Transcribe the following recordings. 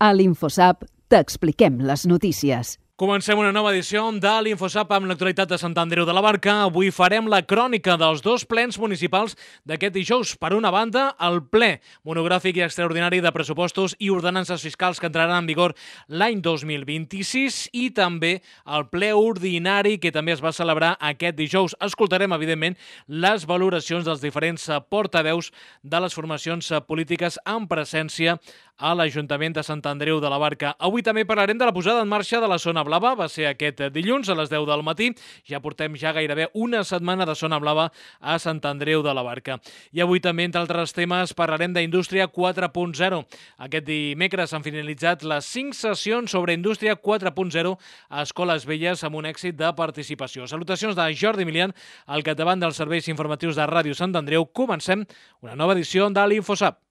A l'InfoSap t'expliquem les notícies. Comencem una nova edició de l'InfoSap amb l'actualitat de Sant Andreu de la Barca. Avui farem la crònica dels dos plens municipals d'aquest dijous. Per una banda, el ple monogràfic i extraordinari de pressupostos i ordenances fiscals que entraran en vigor l'any 2026 i també el ple ordinari que també es va celebrar aquest dijous. Escoltarem, evidentment, les valoracions dels diferents portaveus de les formacions polítiques en presència a l'Ajuntament de Sant Andreu de la Barca. Avui també parlarem de la posada en marxa de la zona blava. Va ser aquest dilluns a les 10 del matí. Ja portem gairebé una setmana de zona blava a Sant Andreu de la Barca. I avui també, entre altres temes, parlarem d'Indústria 4.0. Aquest dimecres han finalitzat les 5 sessions sobre Indústria 4.0 a Escoles Velles amb un èxit de participació. Salutacions de Jordi Milian, al capdavant dels serveis informatius de Ràdio Sant Andreu. Comencem una nova edició de l'InfoSap.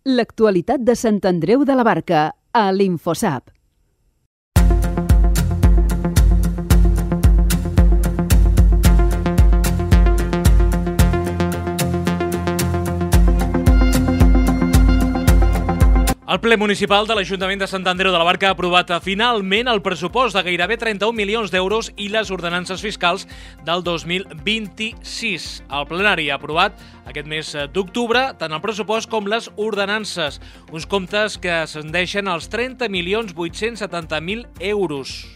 L'actualitat de Sant Andreu de la Barca a l'InfoSap. El ple municipal de l'Ajuntament de Sant Andreu de la Barca ha aprovat finalment el pressupost de gairebé 31 milions d'euros i les ordenances fiscals del 2026. El plenari ha aprovat aquest mes d'octubre tant el pressupost com les ordenances, uns comptes que ascendeixen als 30.870.000 euros.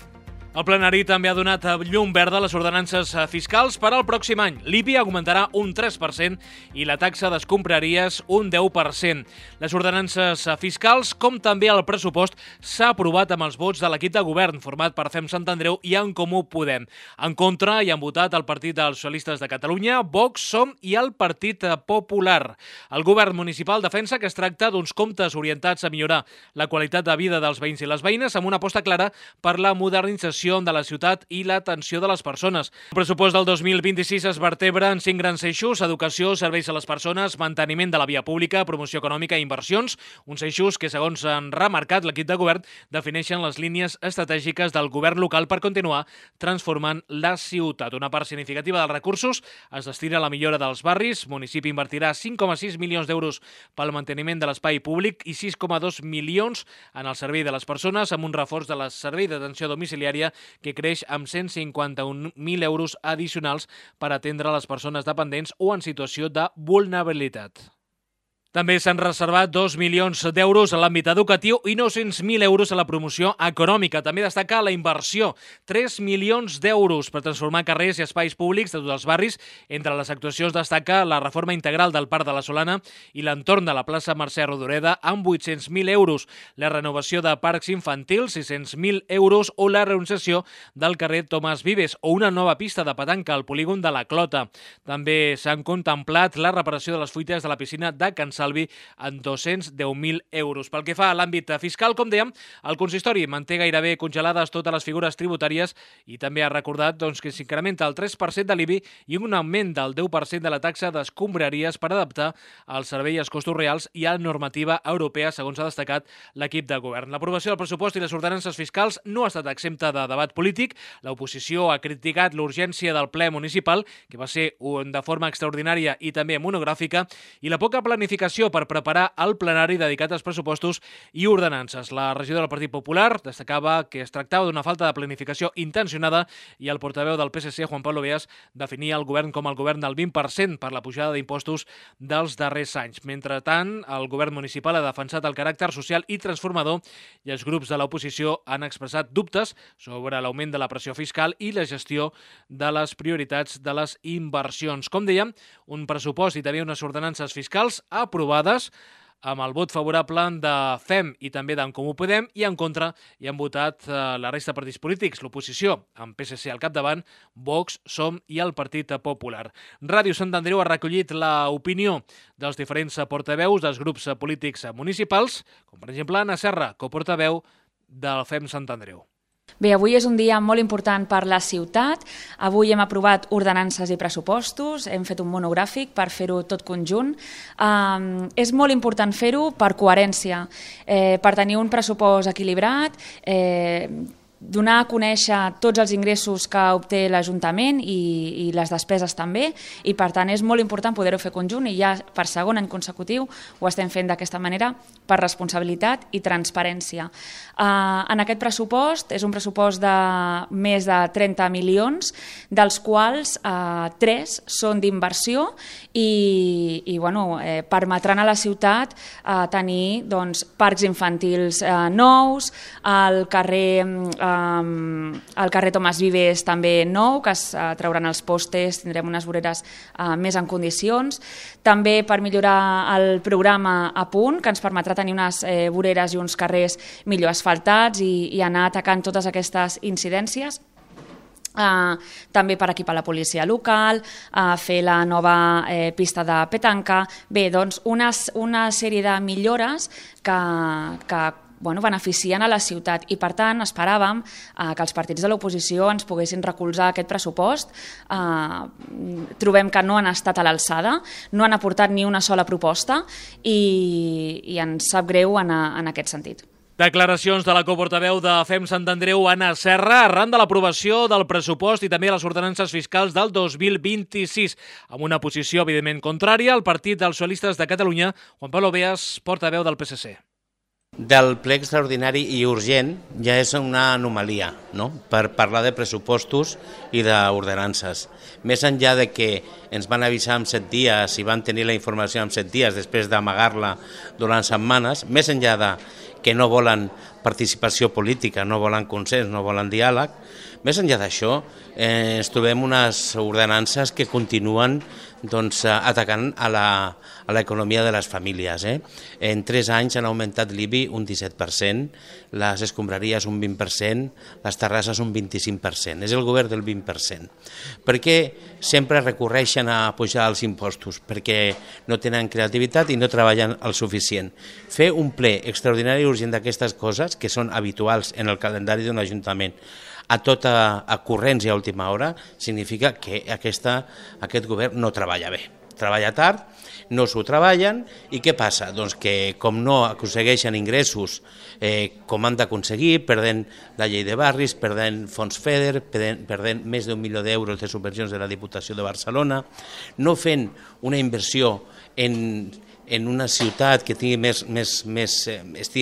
El plenari també ha donat llum verda a les ordenances fiscals per al pròxim any. L'IBI augmentarà un 3% i la taxa d'escombraries un 10%. Les ordenances fiscals, com també el pressupost, s'ha aprovat amb els vots de l'equip de govern format per FEM Sant Andreu i En Comú Podem. En contra hi han votat el Partit dels Socialistes de Catalunya, Vox, Som i el Partit Popular. El govern municipal defensa que es tracta d'uns comptes orientats a millorar la qualitat de vida dels veïns i les veïnes amb una aposta clara per la modernització de la ciutat i l'atenció de les persones. El pressupost del 2026 es vertebra en 5 grans eixos: educació, serveis a les persones, manteniment de la via pública, promoció econòmica i inversions, uns eixos que, segons han remarcat l'equip de govern, defineixen les línies estratègiques del govern local per continuar transformant la ciutat. Una part significativa dels recursos es destina a la millora dels barris. El municipi invertirà 5,6 milions d'euros pel manteniment de l'espai públic i 6,2 milions en el servei de les persones, amb un reforç de la servei d'atenció domiciliària que creix amb 151.000 euros addicionals per atendre les persones dependents o en situació de vulnerabilitat. També s'han reservat 2 milions d'euros a l'àmbit educatiu i 900.000 euros a la promoció econòmica. També destaca la inversió, 3 milions d'euros per transformar carrers i espais públics de tots els barris. Entre les actuacions destaca la reforma integral del Parc de la Solana i l'entorn de la plaça Mercè Rodoreda amb 800.000 euros, la renovació de parcs infantils, 600.000 euros o la rehabilitació del carrer Tomàs Vives o una nova pista de petanca al polígon de la Clota. També s'han contemplat la reparació de les fuites de la piscina de Can Salvi en 210.000 euros. Pel que fa a l'àmbit fiscal, com dèiem, el consistori manté gairebé congelades totes les figures tributàries i també ha recordat que s'incrementa el 3% de l'IBI i un augment del 10% de la taxa d'escombraries per adaptar el servei als costos reals i a la normativa europea, segons ha destacat l'equip de govern. L'aprovació del pressupost i les ordenances fiscals no ha estat exempta de debat polític. L'oposició ha criticat l'urgència del ple municipal, que va ser de forma extraordinària i també monogràfica, i la poca planificació per preparar el plenari dedicat als pressupostos i ordenances. La regidora del Partit Popular destacava que es tractava d'una falta de planificació intencionada i el portaveu del PSC, Juan Pablo Beas, definia el govern com el govern del 20% per la pujada d'impostos dels darrers anys. Mentrestant, el govern municipal ha defensat el caràcter social i transformador i els grups de l'oposició han expressat dubtes sobre l'augment de la pressió fiscal i la gestió de les prioritats de les inversions. Com dèiem, un pressupost i també unes ordenances fiscals aprovades amb el vot favorable de FEM i també d'en Comú Podem i en contra hi han votat la resta de partits polítics, l'oposició, amb PSC al capdavant, Vox, Som i el Partit Popular. Ràdio Sant Andreu ha recollit l'opinió dels diferents portaveus dels grups polítics municipals, com per exemple Anna Serra, coportaveu del FEM Sant Andreu. Bé, avui és un dia molt important per la ciutat. Avui hem aprovat ordenances i pressupostos, hem fet un monogràfic per fer-ho tot conjunt. És molt important fer-ho per coherència, per tenir un pressupost equilibrat, donar a conèixer tots els ingressos que obté l'Ajuntament i les despeses també, i per tant és molt important poder-ho fer conjunt, i ja per segon any consecutiu ho estem fent d'aquesta manera per responsabilitat i transparència. En aquest pressupost és un pressupost de més de 30 milions, dels quals 3 són d'inversió i permetran a la ciutat tenir parcs infantils nous, al carrer Tomàs Vives també nou, que es trauran els postes, tindrem unes voreres més en condicions. També per millorar el programa A Punt, que ens permetrà tenir unes voreres i uns carrers millor asfaltats i anar atacant totes aquestes incidències. També per equipar la policia local, fer la nova pista de petanca. Bé, doncs una sèrie de millores que beneficien a la ciutat, i per tant esperàvem que els partits de l'oposició ens poguessin recolzar aquest pressupost. Trobem que no han estat a l'alçada, no han aportat ni una sola proposta i ens sap greu en aquest sentit. Declaracions de la coportaveu de FEM Sant Andreu, Anna Serra, arran de l'aprovació del pressupost i també les ordenances fiscals del 2026. Amb una posició, evidentment, contrària, el Partit dels Socialistes de Catalunya, Juan Pablo Beas, portaveu del PSC. Del ple extraordinari i urgent ja és una anomalia, no?, per parlar de pressupostos i d'ordenances. Més enllà de que ens van avisar en 7 dies i van tenir la informació en 7 dies després d'amagar-la durant setmanes, més enllà de que no volen participació política, no volen consens, no volen diàleg, més enllà d'això ens trobem unes ordenances que continuen atacant a l'economia de les famílies. En 3 anys han augmentat l'IBI un 17%, les escombraries un 20%, les terrasses un 25%. És el govern del 20%. Per què sempre recorreixen a pujar els impostos? Perquè no tenen creativitat i no treballen el suficient. Fer un ple extraordinari i urgent d'aquestes coses, que són habituals en el calendari d'un ajuntament, a corrents i a última hora, significa que aquest govern no treballa bé. Treballa tard, no s'ho treballen, i què passa? Doncs que com no aconsegueixen ingressos com han d'aconseguir, perdent la llei de barris, perdent fons FEDER, perdent més d'1 milió d'euros de subvencions de la Diputació de Barcelona, no fent una inversió en una ciutat que estigui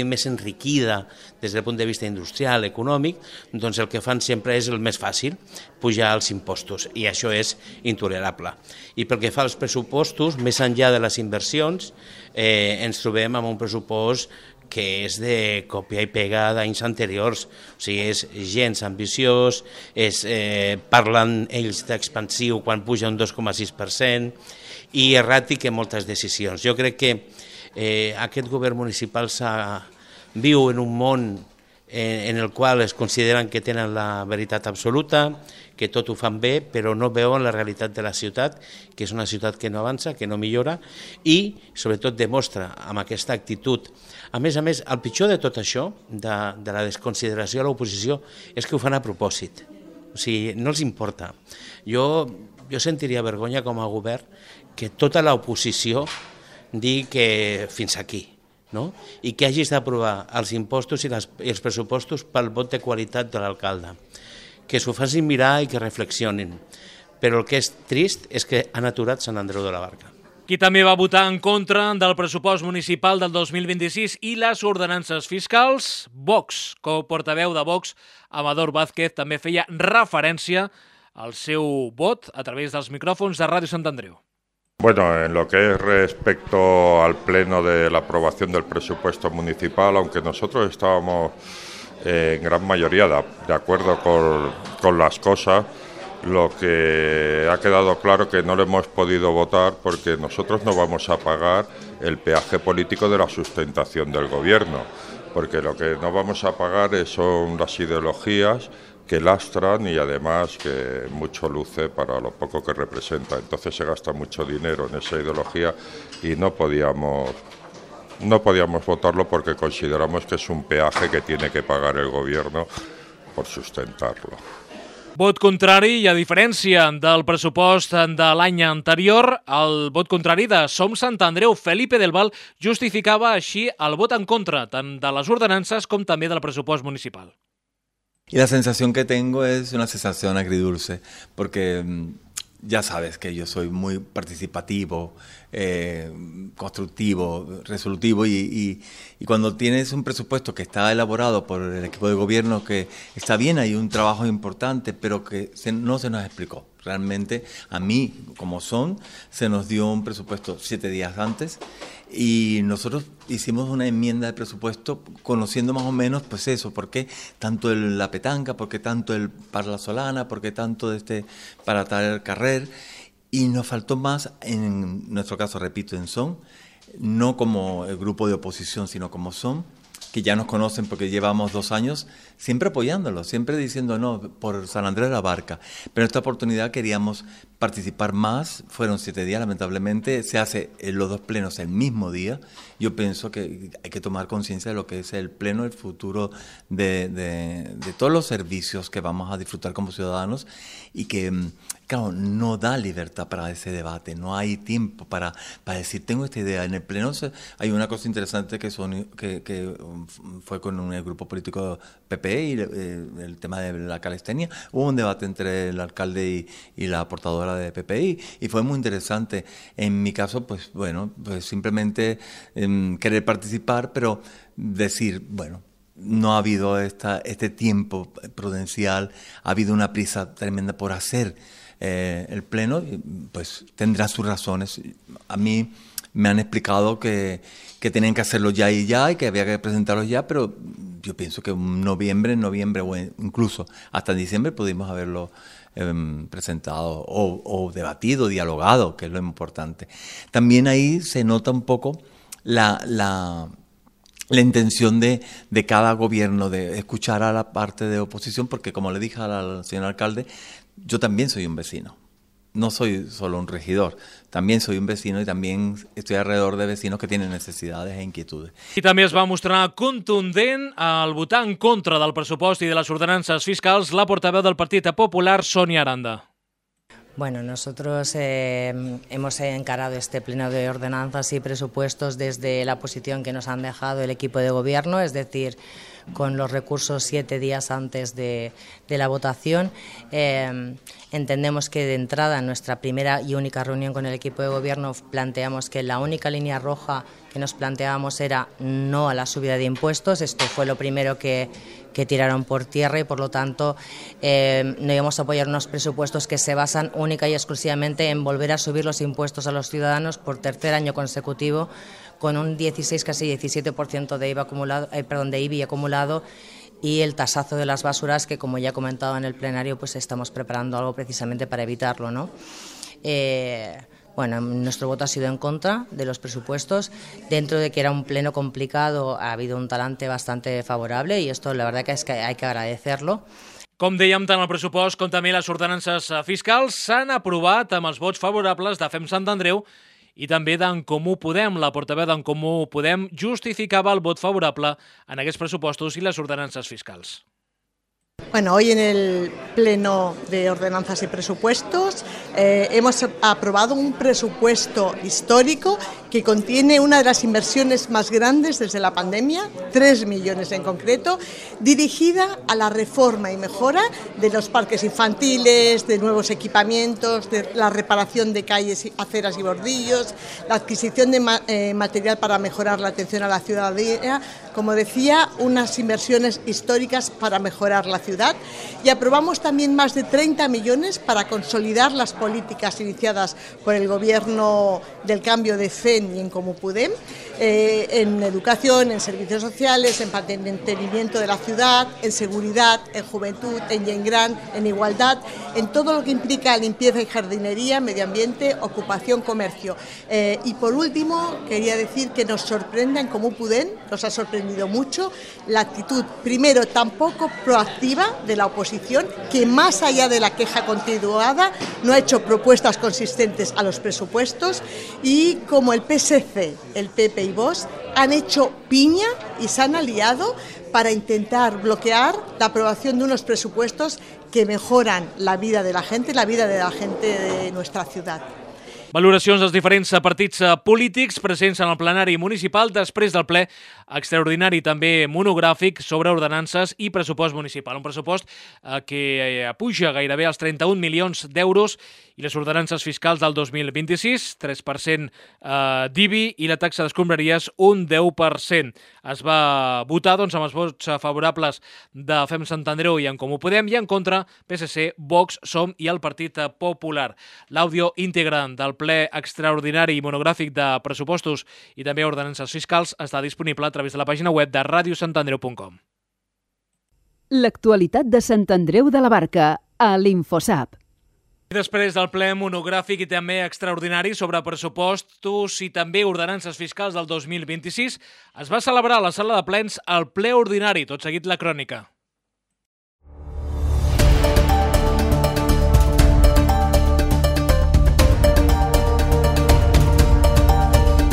més enriquida des del punt de vista industrial, econòmic, doncs el que fan sempre és el més fàcil, pujar els impostos, i això és intolerable. I pel que fa als pressupostos, més enllà de les inversions, ens trobem amb un pressupost que és de còpia i pega d'anys anteriors, o sigui, és gens ambiciós, parlen ells d'expansiu quan puja un 2,6%, i erràtic en moltes decisions. Jo crec que aquest govern municipal viu en un món en el qual es consideren que tenen la veritat absoluta, que tot ho fan bé, però no veuen la realitat de la ciutat, que és una ciutat que no avança, que no millora, i sobretot demostra amb aquesta actitud. A més, el pitjor de tot això, de la desconsideració a l'oposició, és que ho fan a propòsit. O sigui, no els importa. Jo sentiria vergonya com a govern que tota l'oposició digui que fins aquí, no? I que hagis d'aprovar els impostos i els pressupostos pel vot de qualitat de l'alcalde. Que s'ho facin mirar i que reflexionin. Però el que és trist és que han aturat Sant Andreu de la Barca. Qui també va votar en contra del pressupost municipal del 2026 i les ordenances fiscals? Vox. Co-portaveu de Vox, Amador Vázquez, també feia referència al seu vot a través dels micròfons de Ràdio Sant Andreu. Bueno, en lo que es respecto al pleno de la aprobación del presupuesto municipal, aunque nosotros estábamos en gran mayoría de acuerdo con las cosas, lo que ha quedado claro que no lo hemos podido votar porque nosotros no vamos a pagar el peaje político de la sustentación del gobierno, porque lo que no vamos a pagar son las ideologías que lastran y además que mucho luce para lo poco que representa. Entonces se gasta mucho dinero en esa ideología y no podíamos votarlo porque consideramos que es un peaje que tiene que pagar el gobierno por sustentarlo. Vot contrari, i a diferència del pressupost de l'any anterior, el vot contrari de Som Sant Andreu, Felipe del Val, justificava així el vot en contra tant de les ordenances com també del pressupost municipal. Y la sensación que tengo es una sensación agridulce, porque ya sabes que yo soy muy participativo, constructivo, resolutivo y cuando tienes un presupuesto que está elaborado por el equipo de gobierno, que está bien, hay un trabajo importante, pero que no se nos explicó. Realmente a mí, como se nos dio un presupuesto 7 días antes y nosotros hicimos una enmienda de presupuesto conociendo más o menos pues eso, por qué tanto la petanca, por qué tanto el Parla Solana, por qué tanto para tal carrer, y nos faltó más, en nuestro caso, repito, en Son, no como el grupo de oposición, sino como Son, que ya nos conocen porque llevamos 2 años siempre apoyándolo, siempre diciendo no, por San Andreu de la Barca. Pero en esta oportunidad queríamos participar más, fueron 7 días, lamentablemente, se hace los 2 plenos el mismo día. Yo pienso que hay que tomar conciencia de lo que es el pleno, el futuro de todos los servicios que vamos a disfrutar como ciudadanos y que, claro, no da libertad para ese debate, no hay tiempo para decir, tengo esta idea. En el pleno hay una cosa interesante que fue con el grupo político PP y el tema de la calistenia. Hubo un debate entre el alcalde y la portadora de PPI y fue muy interesante. En mi caso, pues bueno, pues simplemente querer participar, pero decir, bueno, no ha habido este tiempo prudencial, ha habido una prisa tremenda por hacer el pleno, pues tendrá sus razones. A mí me han explicado que tenían que hacerlo ya y que había que presentarlo ya, pero yo pienso que en noviembre o incluso hasta en diciembre pudimos haberlo presentado o debatido, dialogado, que es lo importante. También ahí se nota un poco la intención de cada gobierno de escuchar a la parte de oposición, porque como le dije al señor alcalde, yo también soy un vecino. No soy solo un regidor, también soy un vecino y también estoy alrededor de vecinos que tienen necesidades e inquietudes. I també es va mostrar contundent al votar en contra del pressupost i de les ordenances fiscals la portaveu del Partit Popular, Sonia Aranda. Bueno, nosotros hemos encarado este pleno de ordenanzas y presupuestos desde la posición que nos han dejado el equipo de gobierno, es decir, con los recursos 7 días antes de la votación. Entendemos que de entrada en nuestra primera y única reunión con el equipo de gobierno planteamos que la única línea roja que nos planteábamos era no a la subida de impuestos. Esto fue lo primero que tiraron por tierra y por lo tanto no íbamos a apoyar unos presupuestos que se basan única y exclusivamente en volver a subir los impuestos a los ciudadanos por 3er año consecutivo, con un 16, casi 17% de IBI acumulado y el tasazo de las basuras que, como ya he comentado en el plenario, pues estamos preparando algo precisamente para evitarlo, ¿no? Bueno, nuestro voto ha sido en contra de los presupuestos. Dentro de que era un pleno complicado, ha habido un talante bastante favorable y esto la verdad que es que hay que agradecerlo. Com dèiem, tant el pressupost com també les ordenances fiscals s'han aprovat amb els vots favorables de Fem Sant Andreu i també d'en Comú Podem. La portaveu d'en Comú Podem justificava el vot favorable en aquests pressupostos i les ordenances fiscals. Bueno, hoy en el Pleno de Ordenanzas y Presupuestos hemos aprobado un presupuesto histórico que contiene una de las inversiones más grandes desde la pandemia, 3 millones en concreto, dirigida a la reforma y mejora de los parques infantiles, de nuevos equipamientos, de la reparación de calles, aceras y bordillos, la adquisición de material para mejorar la atención a la ciudadanía, como decía, unas inversiones históricas para mejorar la ciudad, y aprobamos también más de 30 millones para consolidar las políticas iniciadas por el Gobierno del Cambio de FEN y en Comú Podem, en educación, en servicios sociales, en mantenimiento de la ciudad, en seguridad, en juventud, en Gent-Gran, en igualdad, en todo lo que implica limpieza y jardinería, medio ambiente, ocupación, comercio. Y por último, quería decir que nos sorprende en Comú Podem, nos ha sorprendido mucho la actitud, primero, tan poco proactiva de la oposición, que más allá de la queja continuada no ha hecho propuestas consistentes a los presupuestos, y como el PSC, el PP y Vox han hecho piña y se han aliado para intentar bloquear la aprobación de unos presupuestos que mejoran la vida de la gente de nuestra ciudad. Valoracions dels diferents partits polítics presents en el plenari municipal després del ple extraordinari també monogràfic sobre ordenances i pressupost municipal. Un pressupost que puja gairebé als 31 milions d'euros i les ordenances fiscals del 2026, 3% d'IBI i la taxa d'escombraries un 10%. Es va votar amb els vots favorables de FEM Sant Andreu i En Comú Podem i en contra PSC, Vox, SOM i el Partit Popular. L'àudio íntegre del ple extraordinari i monogràfic de pressupostos i també ordenances fiscals està disponible a través de la pàgina web de radiosantandreu.com. L'actualitat de Sant Andreu de la Barca a l'Infosap. I després del ple monogràfic i també extraordinari sobre pressupostos i també ordenances fiscals del 2026, es va celebrar a la sala de plens el ple ordinari. Tot seguit la crònica.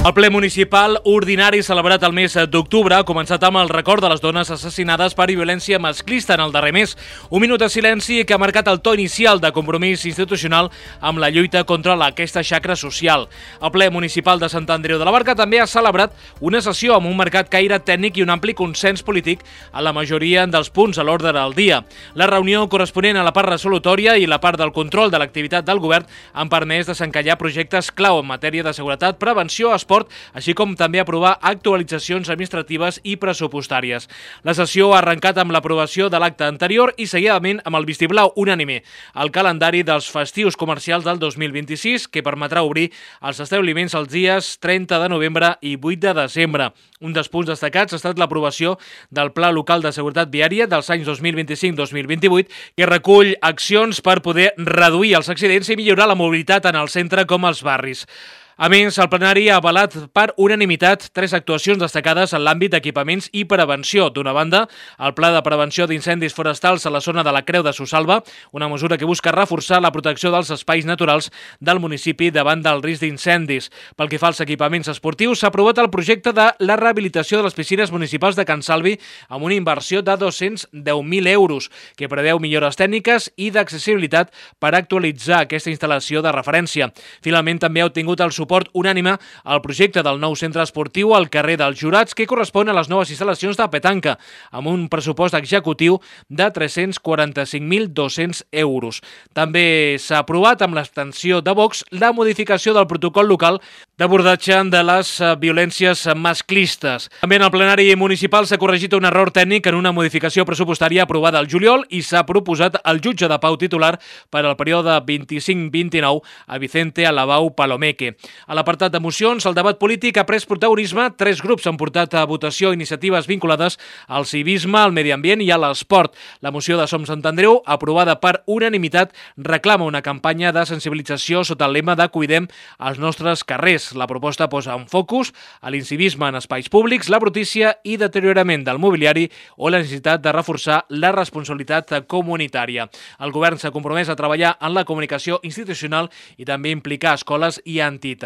El ple municipal ordinari celebrat el mes d'octubre ha començat amb el record de les dones assassinades per violència masclista en el darrer mes. Un minut de silenci que ha marcat el to inicial de compromís institucional amb la lluita contra aquesta xacra social. El ple municipal de Sant Andreu de la Barca també ha celebrat una sessió amb un marcat caire tècnic i un ampli consens polític a la majoria dels punts a l'ordre del dia. La reunió corresponent a la part resolutòria i la part del control de l'activitat del govern han permès desencallar projectes clau en matèria de seguretat, prevenció, esport, així com també aprovar actualitzacions administratives i pressupostàries. La sessió ha arrencat amb l'aprovació de l'acte anterior i seguidament amb el vistiplau unànime al calendari dels festius comercials del 2026, que permetrà obrir els establiments els dies 30 de novembre i 8 de desembre. Un dels punts destacats ha estat l'aprovació del Pla Local de Seguretat Viària dels anys 2025-2028, que recull accions per poder reduir els accidents i millorar la mobilitat tant al centre com als barris. A més, el plenari ha avalat per unanimitat 3 actuacions destacades en l'àmbit d'equipaments i prevenció. D'una banda, el Pla de Prevenció d'Incendis Forestals a la zona de la Creu de Sussalva, una mesura que busca reforçar la protecció dels espais naturals del municipi davant del risc d'incendis. Pel que fa als equipaments esportius, s'ha aprovat el projecte de la rehabilitació de les piscines municipals de Can Salvi amb una inversió de 210.000 euros, que preveu millores tècniques i d'accessibilitat per actualitzar aquesta instal·lació de referència. Finalment, també ha obtingut el suport unànime al projecte del nou centre esportiu al carrer dels Jurats, que correspon a les noves instal·lacions de petanca, amb un pressupost executiu de 345.200 euros. També s'ha aprovat amb l'abstenció de Vox la modificació del protocol local d'abordatge de les violències masclistes. També en el plenari municipal s'ha corregit un error tècnic en una modificació pressupostària aprovada al juliol i s'ha proposat el jutge de pau titular per al període 25-29 a Vicente Alabau Palomeque. A l'apartat de mocions, el debat polític ha pres protagonisme. 3 grups han portat a votació iniciatives vinculades al civisme, al medi ambient i a l'esport. La moció de Som Sant Andreu, aprovada per unanimitat, reclama una campanya de sensibilització sota el lema de Cuidem els nostres carrers. La proposta posa en focus a l'incivisme en espais públics, la brutícia i deteriorament del mobiliari o la necessitat de reforçar la responsabilitat comunitària. El govern s'ha compromès a treballar en la comunicació institucional i també implicar escoles i entitats.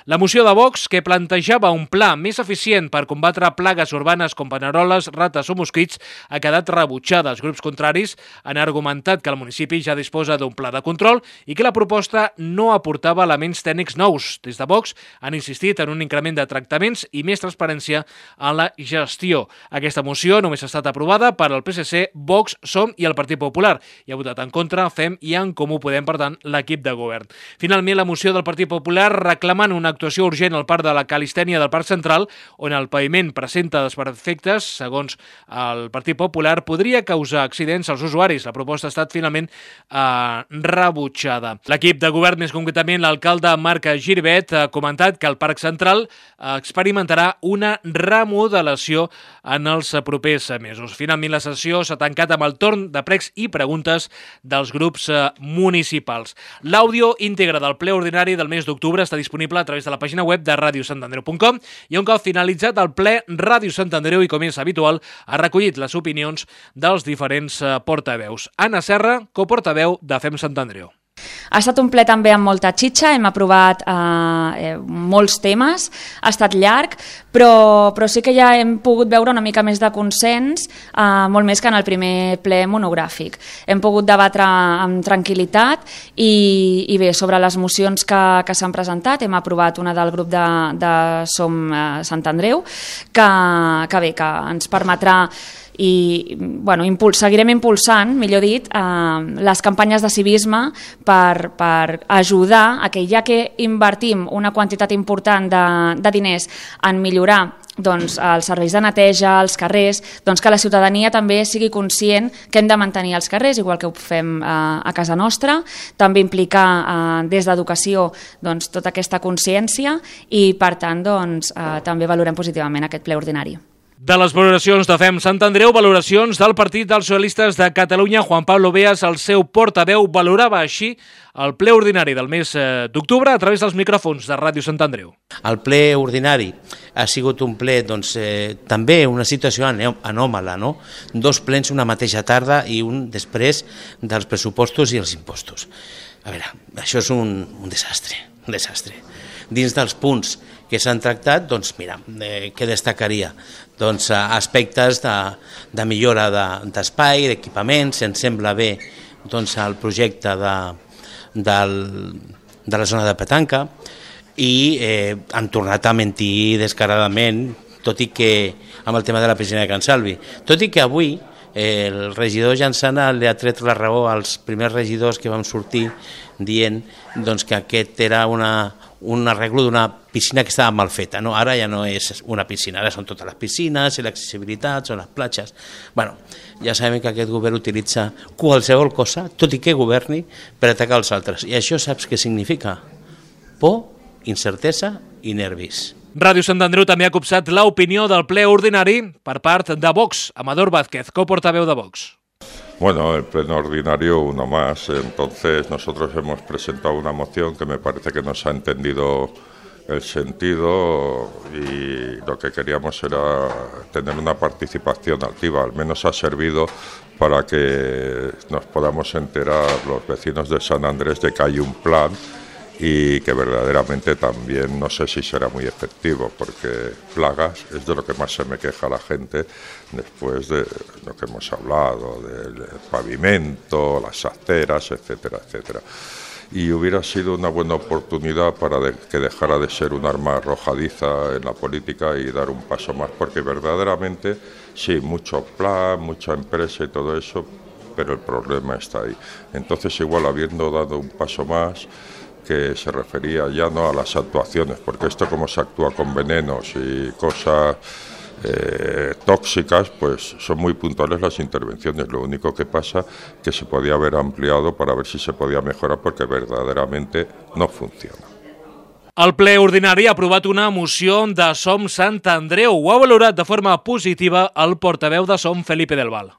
La moció de Vox, que plantejava un pla més eficient per combatre plagues urbanes com paneroles, rates o mosquits, ha quedat rebutjada. Els grups contraris han argumentat que el municipi ja disposa d'un pla de control i que la proposta no aportava elements tècnics nous. Des de Vox han insistit en un increment de tractaments i més transparència en la gestió. Aquesta moció només ha estat aprovada per al PSC, Vox, SOM i el Partit Popular i ha votat en contra FEM i En Comú Podem, per tant, l'equip de govern. Finalment, la moció del Partit Popular reclamant una actuació urgent al Parc de la Calistènia del Parc Central, on el paviment presenta desperfectes, segons el Partit Popular, podria causar accidents als usuaris. La proposta ha estat finalment rebutjada. L'equip de govern, més concretament l'alcalde Marc Giribet, ha comentat que el Parc Central experimentarà una remodelació en els propers mesos. Finalment, la sessió s'ha tancat amb el torn de pregs i preguntes dels grups municipals. L'àudio íntegre del ple ordinari del mes d'octubre està disponible a través de la pàgina web de radiosantandreu.com i un cop finalitzat el ple, Ràdio Sant Andreu, i com és habitual, ha recollit les opinions dels diferents portaveus. Anna Serra, coportaveu de FEM Sant Andreu. Ha estat un ple també amb molta xitxa, hem aprovat molts temes, ha estat llarg, però sí que ja hem pogut veure una mica més de consens, molt més que en el primer ple monogràfic. Hem pogut debatre amb tranquil·litat i bé, sobre les mocions que s'han presentat, hem aprovat una del grup de Som Sant Andreu, que bé, que ens permetrà i seguirem impulsant, millor dit, les campanyes de civisme per ajudar a que, ja que invertim una quantitat important de diners en millorar els serveis de neteja, els carrers, que la ciutadania també sigui conscient que hem de mantenir els carrers, igual que ho fem a casa nostra, també implicar des d'educació tota aquesta consciència i, per tant, també valorem positivament aquest ple ordinari. De les valoracions de FEM Sant Andreu, valoracions del Partit dels Socialistes de Catalunya. Juan Pablo Beas, el seu portaveu, valorava així el ple ordinari del mes d'octubre a través dels micròfons de Ràdio Sant Andreu. El ple ordinari ha sigut un ple, també una situació anòmala, no? 2 plens una mateixa tarda i un després dels pressupostos i els impostos. A veure, això és un desastre, un desastre. Dins dels punts que s'han tractat, què destacaria? Aspectes de millora d'espai, d'equipaments. Ens sembla bé el projecte de la zona de petanca i han tornat a mentir descaradament, tot i que amb el tema de la piscina de Can Salvi. Tot i que avui el regidor Jansana li ha tret la raó als primers regidors que vam sortir dient que aquest era un arreglo d'una piscina que estava mal feta. No, ara ja no és una piscina, ara són totes les piscines i l'accessibilitat, són les platges. Ja sabem que aquest govern utilitza qualsevol cosa, tot i que governi, per atacar els altres. I això saps què significa? Por, incertesa i nervis. Ràdio Sant Andreu també ha copsat l'opinió del ple ordinari per part de Vox. Amador Vázquez, coportaveu de Vox. Bueno, el pleno ordinario uno más, entonces nosotros hemos presentado una moción que me parece que no se ha entendido el sentido y lo que queríamos era tener una participación activa, al menos ha servido para que nos podamos enterar los vecinos de San Andrés de que hay un plan y que verdaderamente también no sé si será muy efectivo, porque plagas es de lo que más se me queja la gente después de lo que hemos hablado, del pavimento, las aceras, etcétera, etcétera. Y hubiera sido una buena oportunidad para que dejara de ser un arma arrojadiza en la política y dar un paso más, porque verdaderamente sí, mucho plan, mucha empresa y todo eso, pero el problema está ahí. Entonces igual habiendo dado un paso más, que se refería ya no a las actuaciones, porque esto como se actúa con venenos y cosas tóxicas, pues son muy puntuales las intervenciones. Lo único que pasa que se podía haber ampliado para ver si se podía mejorar, porque verdaderamente no funciona. El ple ordinari ha aprovat una moció de Som Sant Andreu. Ho ha valorat de forma positiva el portaveu de Som, Felipe del Val.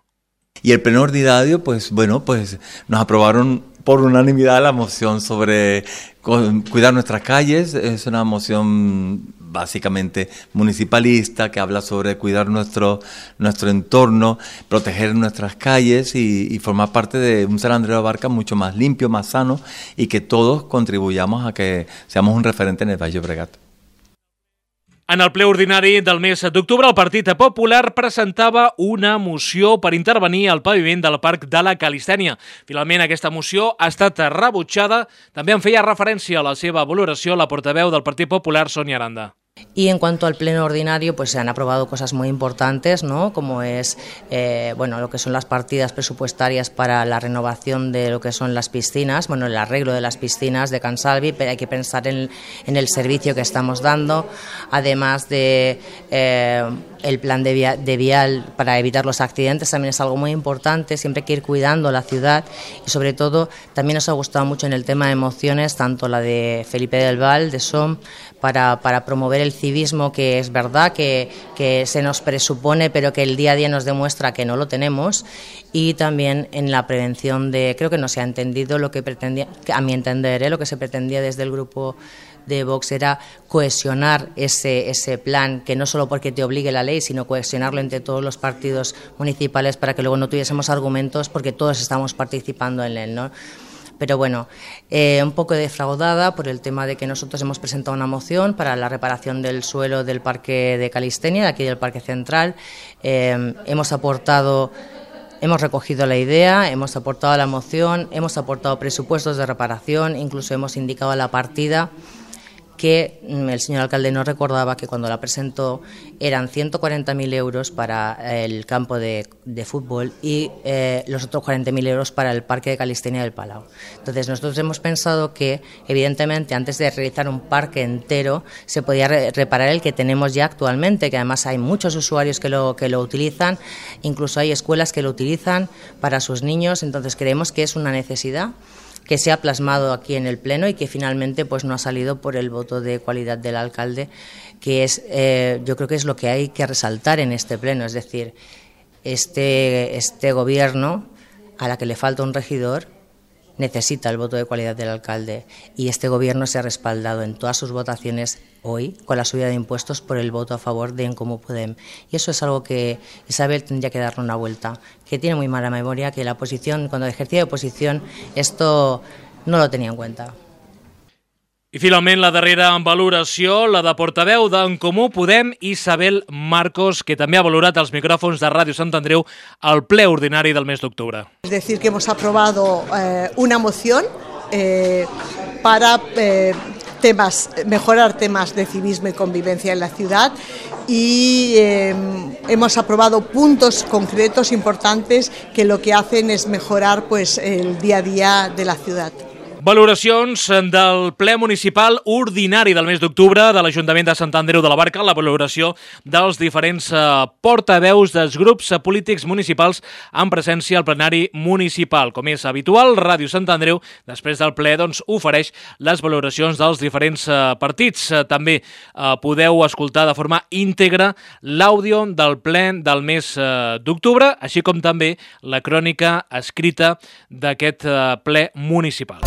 Y el pleno ordinario, pues nos aprobaron por unanimidad la moción sobre cuidar nuestras calles. Es una moción básicamente municipalista que habla sobre cuidar nuestro entorno, proteger nuestras calles y formar parte de un Sant Andreu de la Barca mucho más limpio, más sano, y que todos contribuyamos a que seamos un referente en el Baix Llobregat. En el ple ordinari del mes d'octubre, el Partit Popular presentava una moció per intervenir al paviment del Parc de la Calistènia. Finalment, aquesta moció ha estat rebutjada. També en feia referència a la seva valoració la portaveu del Partit Popular, Sonia Aranda. Y en cuanto al pleno ordinario, pues se han aprobado cosas muy importantes, ¿no? Como es lo que son las partidas presupuestarias para la renovación de lo que son las piscinas, el arreglo de las piscinas de Can Salvi, pero hay que pensar en el servicio que estamos dando, además de el plan de vial para evitar los accidentes, también es algo muy importante. Siempre hay que ir cuidando la ciudad y sobre todo también nos ha gustado mucho en el tema de mociones, tanto la de Felipe del Val, de SOM, para promover el civismo, que es verdad que se nos presupone, pero que el día a día nos demuestra que no lo tenemos, y también en la prevención creo que no se ha entendido lo que pretendía, a mi entender, lo que se pretendía desde el grupo de Vox era cohesionar ese plan, que no solo porque te obligue la ley, sino cohesionarlo entre todos los partidos municipales para que luego no tuviésemos argumentos, porque todos estamos participando en él, ¿no? Pero bueno, un poco defraudada por el tema de que nosotros hemos presentado una moción para la reparación del suelo del Parque de Calistenia, de aquí del Parque Central. Hemos recogido la idea, hemos aportado la moción, hemos aportado presupuestos de reparación, incluso hemos indicado la partida que el señor alcalde nos recordaba que cuando la presentó eran 140.000 euros para el campo de fútbol y los otros 40.000 euros para el Parque de Calistenia del Palau. Entonces nosotros hemos pensado que evidentemente antes de realizar un parque entero se podía reparar el que tenemos ya actualmente, que además hay muchos usuarios que lo utilizan, incluso hay escuelas que lo utilizan para sus niños, entonces creemos que es una necesidad que se ha plasmado aquí en el Pleno y que finalmente pues no ha salido por el voto de cualidad del alcalde, que es yo creo que es lo que hay que resaltar en este Pleno, es decir, este gobierno a la que le falta un regidor necesita el voto de cualidad del alcalde y este gobierno se ha respaldado en todas sus votaciones hoy con la subida de impuestos por el voto a favor de En Comú Podem. Y eso es algo que Isabel tendría que darle una vuelta, que tiene muy mala memoria, que la oposición, cuando ejercía de oposición, esto no lo tenía en cuenta. I finalment la darrera valoració, la de portaveu d'En Comú Podem, Isabel Marcos, que també ha valorat els micròfons de Ràdio Sant Andreu al ple ordinari del mes d'octubre. Es decir, que hemos aprobado una moción para mejorar temas de civismo y convivencia en la ciudad y hemos aprobado puntos concretos importantes que lo que hacen es mejorar pues, el día a día de la ciudad. Valoracions del ple municipal ordinari del mes d'octubre de l'Ajuntament de Sant Andreu de la Barca, la valoració dels diferents portaveus dels grups polítics municipals en presència al plenari municipal. Com és habitual, Ràdio Sant Andreu, després del ple, doncs, ofereix les valoracions dels diferents partits. També podeu escoltar de forma íntegra l'àudio del ple del mes d'octubre, així com també la crònica escrita d'aquest ple municipal.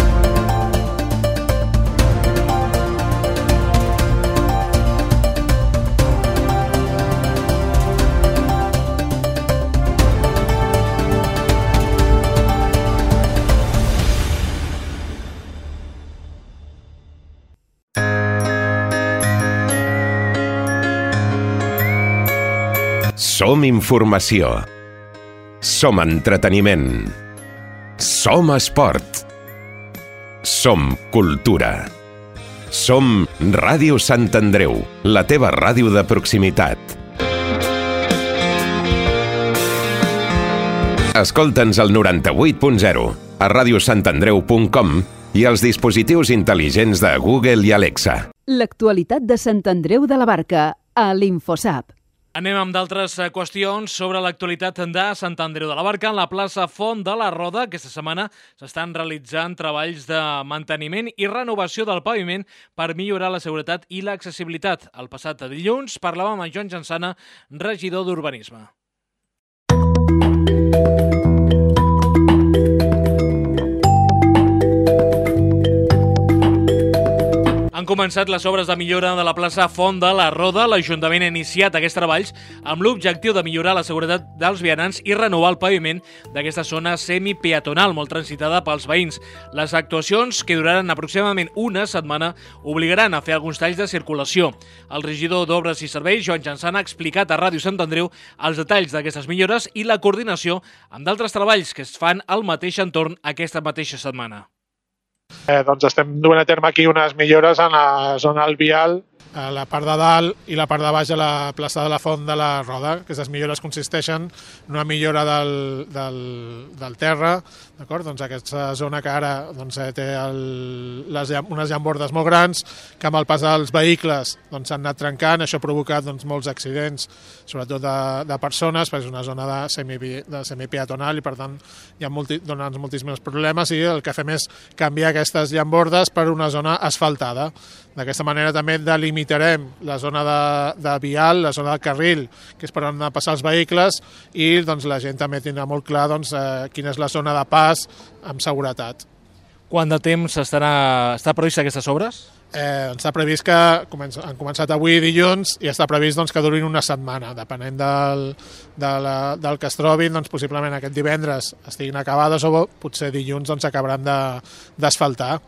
Som informació. Som entreteniment. Som esport. Som cultura. Som Ràdio Sant Andreu, la teva ràdio de proximitat. Escolta'ns al 98.0, a radiosantandreu.com i als dispositius intel·ligents de Google i Alexa. L'actualitat de Sant Andreu de la Barca, a l'Infosap. Anem amb d'altres qüestions sobre l'actualitat de Sant Andreu de la Barca. En la plaça Font de la Roda, aquesta setmana s'estan realitzant treballs de manteniment i renovació del paviment per millorar la seguretat i l'accessibilitat. El passat dilluns parlàvem amb Joan Jansana, regidor d'Urbanisme. Han començat les obres de millora de la plaça Font de la Roda. L'Ajuntament ha iniciat aquests treballs amb l'objectiu de millorar la seguretat dels vianants i renovar el paviment d'aquesta zona semipeatonal molt transitada pels veïns. Les actuacions, que duraran aproximadament una setmana, obligaran a fer alguns talls de circulació. El regidor d'Obres i Serveis, Joan Jansana, ha explicat a Ràdio Sant Andreu els detalls d'aquestes millores i la coordinació amb d'altres treballs que es fan al mateix entorn aquesta mateixa setmana. Doncs estem duent a terme aquí unes millores en la zona alvial, a la part de dalt i la part de baix de la plaça de la Font de la Roda. Aquestes millores consisteixen en una millora del terra, d'acord? Doncs aquesta zona que ara té unes llambordes molt grans, que amb el pas dels vehicles s'han anat trencant. Això ha provocat molts accidents, sobretot de persones, perquè és una zona de semipeatonal i per tant hi ha moltíssims problemes, i el que fem és canviar aquestes llambordes per una zona asfaltada. D'aquesta manera també delimitarem la zona de vial, la zona de carril, que és per on han de passar els vehicles, i la gent també tindrà molt clar quina és la zona de pas amb seguretat. Quant de temps està prevista aquestes obres? Està previst que han començat avui dilluns i està previst que durin una setmana, depenent del que es trobin, possiblement aquest divendres estiguin acabades o potser dilluns s'acabaran d'asfaltar.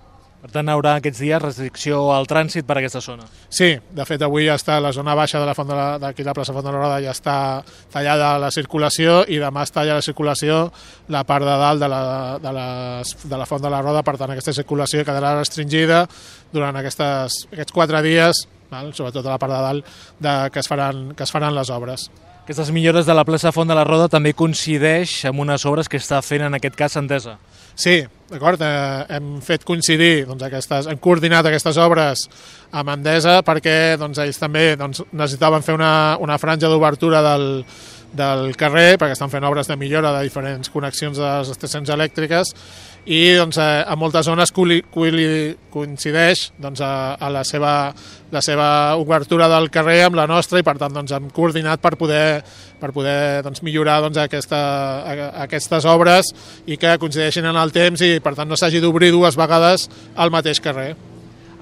Per tant, hi haurà aquests dies restricció al trànsit per a aquesta zona. Sí, de fet avui ja està la zona baixa de d'aquí la plaça Font de la Roda, ja està tallada la circulació i demà es talla la circulació la part de dalt de la Font de la Roda, per tant aquesta circulació quedarà restringida durant aquests 4 dies, sobretot a la part de dalt que es faran les obres. Aquestes millores de la plaça Font de la Roda també coincideix amb unes obres que està fent en aquest cas Endesa. Sí, d'acord, hem fet coincidir, hem coordinat aquestes obres amb Endesa perquè ells també necessitaven fer una franja d'obertura del carrer, perquè estan fent obres de millora de diferents connexions de les estacions elèctriques i a moltes zones coincideix a la seva obertura del carrer amb la nostra i per tant hem coordinat per poder millorar aquestes obres i que coincideixin en el temps i per tant no s'hagi d'obrir 2 vegades al mateix carrer.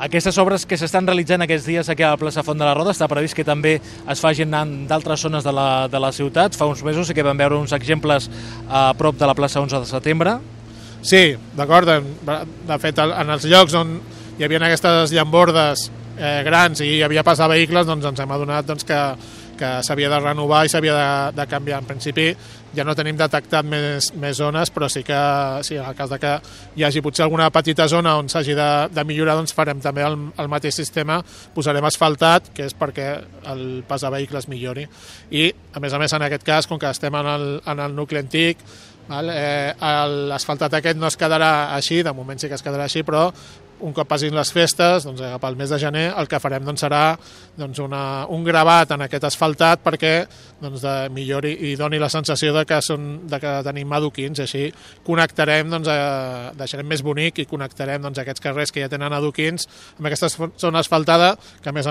Aquestes obres que s'estan realitzant aquests dies aquí a la plaça Font de la Roda està previst que també es facin en d'altres zones de la ciutat. Fa uns mesos sí que vam veure uns exemples a prop de la plaça 11 de setembre. Sí, d'acord. De fet, en els llocs on hi havia aquestes llambordes grans i hi havia passar vehicles, ens hem adonat que s'havia de renovar i s'havia de canviar. En principi ja no tenim detectat més zones, però sí que en el cas de que hi hagi potser alguna petita zona on s'hagi de millorar, farem també el mateix sistema, posarem asfaltat, que és perquè el pas de vehicles millori. I, a més, en aquest cas, com que estem en el nucli antic, l'asfaltat aquest no es quedarà així, de moment sí que es quedarà així, però un cop passin les festes, pel mes de gener, el que farem serà un gravat en aquest asfaltat perquè millori i doni la sensació de que tenim adoquins, així connectarem, deixarem més bonic i connectarem aquests carrers que ja tenen adoquins amb aquesta zona asfaltada que a més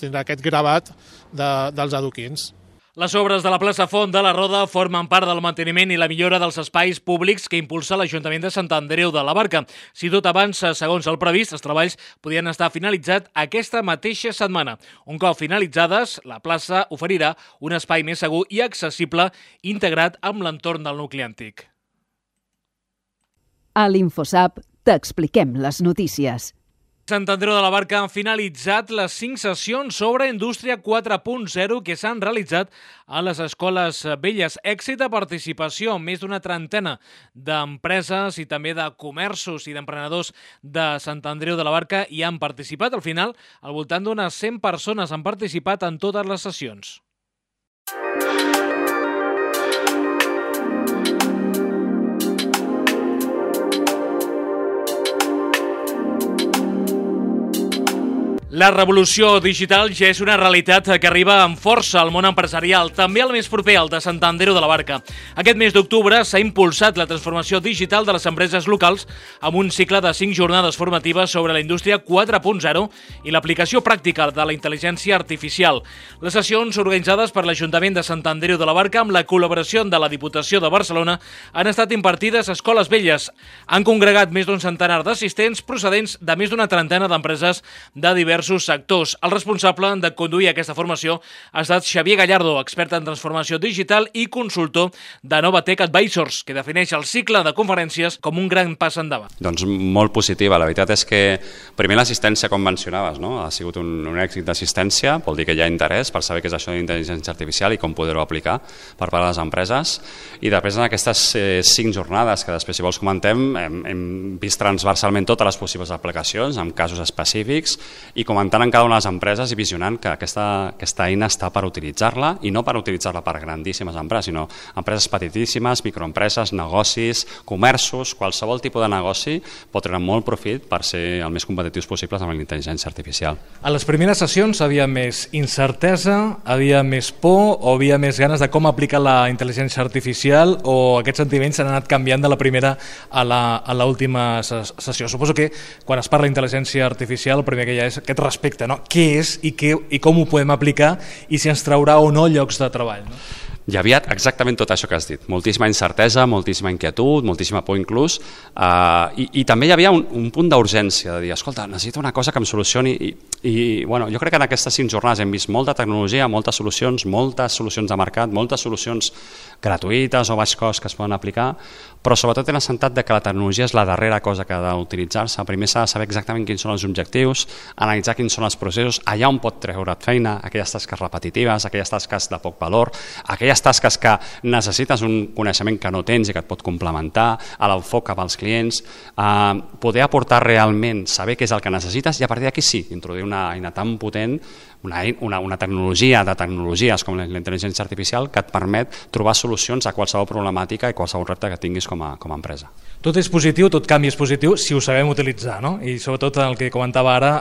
tindrà aquest gravat dels adoquins. Les obres de la plaça Font de la Roda formen part del manteniment i la millora dels espais públics que impulsa l'Ajuntament de Sant Andreu de la Barca. Si tot avança segons el previst, els treballs podrien estar finalitzats aquesta mateixa setmana. Un cop finalitzades, la plaça oferirà un espai més segur i accessible integrat amb l'entorn del nucli antic. A l'InfoSap t'expliquem les notícies. Sant Andreu de la Barca han finalitzat les 5 sessions sobre Indústria 4.0 que s'han realitzat a les escoles velles. Èxit de participació amb més d'una trentena d'empreses i també de comerços i d'emprenedors de Sant Andreu de la Barca hi han participat. Al final, al voltant d'unes 100 persones han participat en totes les sessions. La revolució digital ja és una realitat que arriba amb força al món empresarial, també el més proper, el de Sant Andreu de la Barca. Aquest mes d'octubre s'ha impulsat la transformació digital de les empreses locals amb un cicle de 5 jornades formatives sobre la indústria 4.0 i l'aplicació pràctica de la intel·ligència artificial. Les sessions organitzades per l'Ajuntament de Sant Andreu de la Barca amb la col·laboració de la Diputació de Barcelona han estat impartides a escoles velles. Han congregat més d'un centenar d'assistents procedents de més d'una trentena d'empreses de diversos sectors. El responsable de conduir aquesta formació ha estat Xavier Gallardo, expert en transformació digital i consultor de Novatech Advisors, que defineix el cicle de conferències com un gran pas endavant. Doncs molt positiva. La veritat és que primer l'assistència, com mencionaves, no? Ha sigut un èxit d'assistència, vol dir que hi ha interès per saber què és això d'intel·ligència artificial i com poder-ho aplicar per part de les empreses. I després en aquestes 5 jornades, que després si vols comentem, hem vist transversalment totes les possibles aplicacions amb casos específics i comentant en cada una de les empreses i visionant que aquesta eina està per utilitzar-la i no per utilitzar-la per grandíssimes empreses, sinó empreses petitíssimes, microempreses, negocis, comerços, qualsevol tipus de negoci pot treure molt profit per ser el més competitius possibles amb la intel·ligència artificial. A les primeres sessions havia més incertesa, havia més por o havia més ganes de com aplicar la intel·ligència artificial o aquests sentiments s'han anat canviant de la primera a l'última sessió. Suposo que quan es parla d'intel·ligència artificial el primer que hi ha és aquest respecte, no? Què és i com ho podem aplicar i si ens traurà o no llocs de treball, no? Hi havia exactament tot això que has dit, moltíssima incertesa, moltíssima inquietud, moltíssima por inclús, i també hi havia un punt d'urgència, de dir, escolta, necessito una cosa que em solucioni, i bueno, jo crec que en aquestes 5 jornades hem vist molta tecnologia, moltes solucions de mercat, moltes solucions gratuïtes o baix cost que es poden aplicar, però sobretot hem assentat que la tecnologia és la darrera cosa que ha d'utilitzar-se. Primer s'ha de saber exactament quins són els objectius, analitzar quins són els processos, allà on pot treure't feina, aquelles tasques repetitives, aquelles tasques de poc valor, aquelles tasques que necessites un coneixement que no tens i que et pot complementar, a l'enfoc cap als clients, poder aportar realment, saber què és el que necessites, i a partir d'aquí sí, introduir una eina tan potent, una tecnologia de tecnologies com la intel·ligència artificial que et permet trobar solucions a qualsevol problemàtica i qualsevol repte que tinguis com a empresa. Tot és positiu, tot canvi és positiu si ho sabem utilitzar, no? I sobretot el que comentava ara,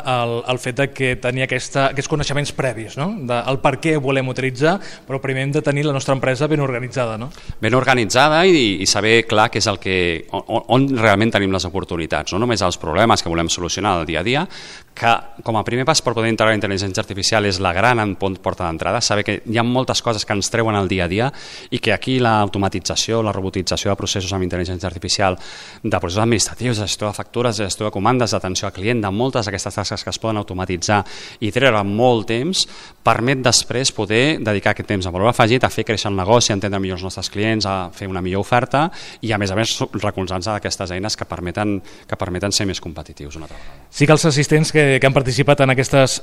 el fet de que tenir aquests coneixements previs, no? El per què volem utilitzar, però primer hem de tenir la nostra empresa ben organitzada, no? Ben organitzada i saber clar què és el que, on realment tenim les oportunitats, no només els problemes que volem solucionar al dia a dia, que com a primer pas per poder integrar la intel·ligència artificial és la gran porta d'entrada, saber que hi ha moltes coses que ens treuen al dia a dia i que aquí l'automatització, la robotització de processos amb intel·ligència artificial, de processos administratius, de gestió de factures, de gestió de comandes, d'atenció al client, de moltes d'aquestes tasques que es poden automatitzar i treure molt temps, permet després poder dedicar aquest temps a valor afegit, a fer créixer el negoci, a entendre millor els nostres clients, a fer una millor oferta i a més recolzant-se d'aquestes eines que permeten ser més competitius una altra vegada. Sí que els assistents que han participat en aquestes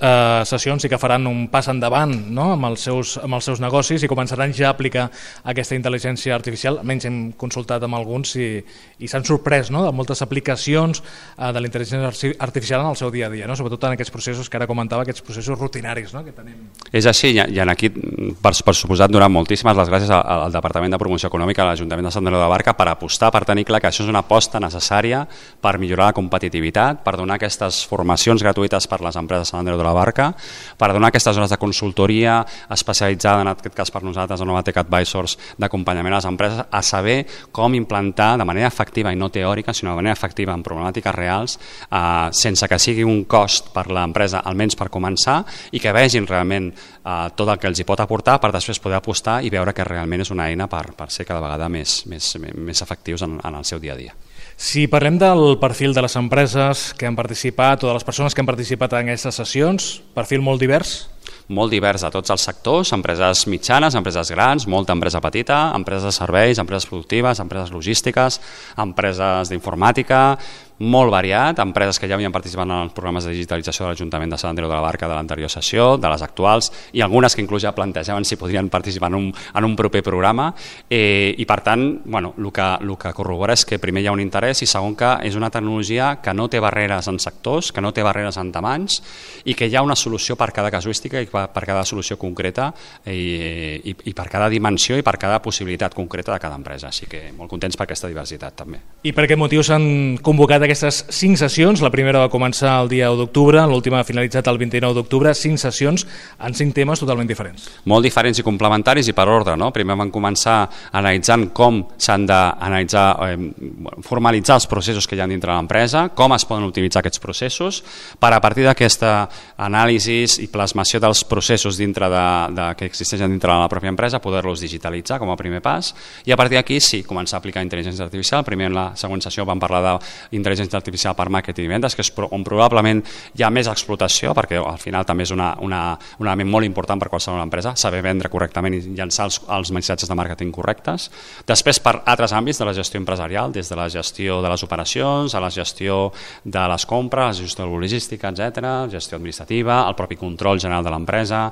sessions i que faran un pas endavant, no? amb els seus negocis i començaran ja a aplicar aquesta intel·ligència artificial. Almenys hem consultat amb alguns i s'han sorprès, no? de moltes aplicacions de la intel·ligència artificial en el seu dia a dia, no? Sobretot en aquests processos que ara comentava, aquests processos rutinaris, no? que tenim. És així, i aquí, per suposat, donar moltíssimes les gràcies al Departament de Promoció Econòmica de l'Ajuntament de Sant Andreu de la Barca per apostar, per tenir clar que això és una aposta necessària per millorar la competitivitat, per donar aquestes formacions gratuïtes per les empreses de Sant Andreu de la Barca, per donar aquestes hores de consultoria especialitzada, en aquest cas per nosaltres, a Novatec Advisors, d'acompanyament a les empreses, a saber com implantar de manera efectiva i no teòrica, sinó de manera efectiva en problemàtiques reals, sense que sigui un cost per l'empresa, almenys per començar, i que vegin realment tot el que els hi pot aportar per després poder apostar i veure que realment és una eina per ser cada vegada més efectius en el seu dia a dia. Si parlem del perfil de les empreses que han participat o de les persones que han participat en aquestes sessions, perfil molt divers? Molt divers a tots els sectors, empreses mitjanes, empreses grans, molta empresa petita, empreses de serveis, empreses productives, empreses logístiques, empreses d'informàtica, molt variat, empreses que ja havien participat en els programes de digitalització de l'Ajuntament de Sant Andreu de la Barca de l'anterior sessió, de les actuals, i algunes que inclús ja plantejaven si podrien participar en un proper programa, i per tant, el que corrobora és que primer hi ha un interès i segon que és una tecnologia que no té barreres en sectors, que no té barreres en tamanys i que hi ha una solució per cada casuística i per cada solució concreta i per cada dimensió i per cada possibilitat concreta de cada empresa. Així que molt contents per aquesta diversitat també. I per aquest motiu s'han convocat aquestes 5 sessions. La primera va començar el dia 1 d'octubre, l'última ha finalitzat el 29 d'octubre, 5 sessions en 5 temes totalment diferents. Molt diferents i complementaris i per ordre, no? Primer van començar analitzant com s'han d'analitzar, formalitzar els processos que hi ha dintre de l'empresa, com es poden utilitzar aquests processos, per a partir d'aquesta anàlisi i plasmació dels processos que existeixen dintre de la pròpia empresa, poder-los digitalitzar com a primer pas, i a partir d'aquí sí, començar a aplicar intel·ligència artificial. Primer en la següent sessió vam parlar d'intel·ligència artificial per màrqueting i vendes, que és on probablement hi ha més explotació, perquè al final també és un element molt important per qualsevol empresa, saber vendre correctament i llançar els missatges de màrqueting correctes. Després per altres àmbits de la gestió empresarial, des de la gestió de les operacions, a la gestió de les compres, la gestió logística, etc., gestió administrativa, el propi control general de l'empresa.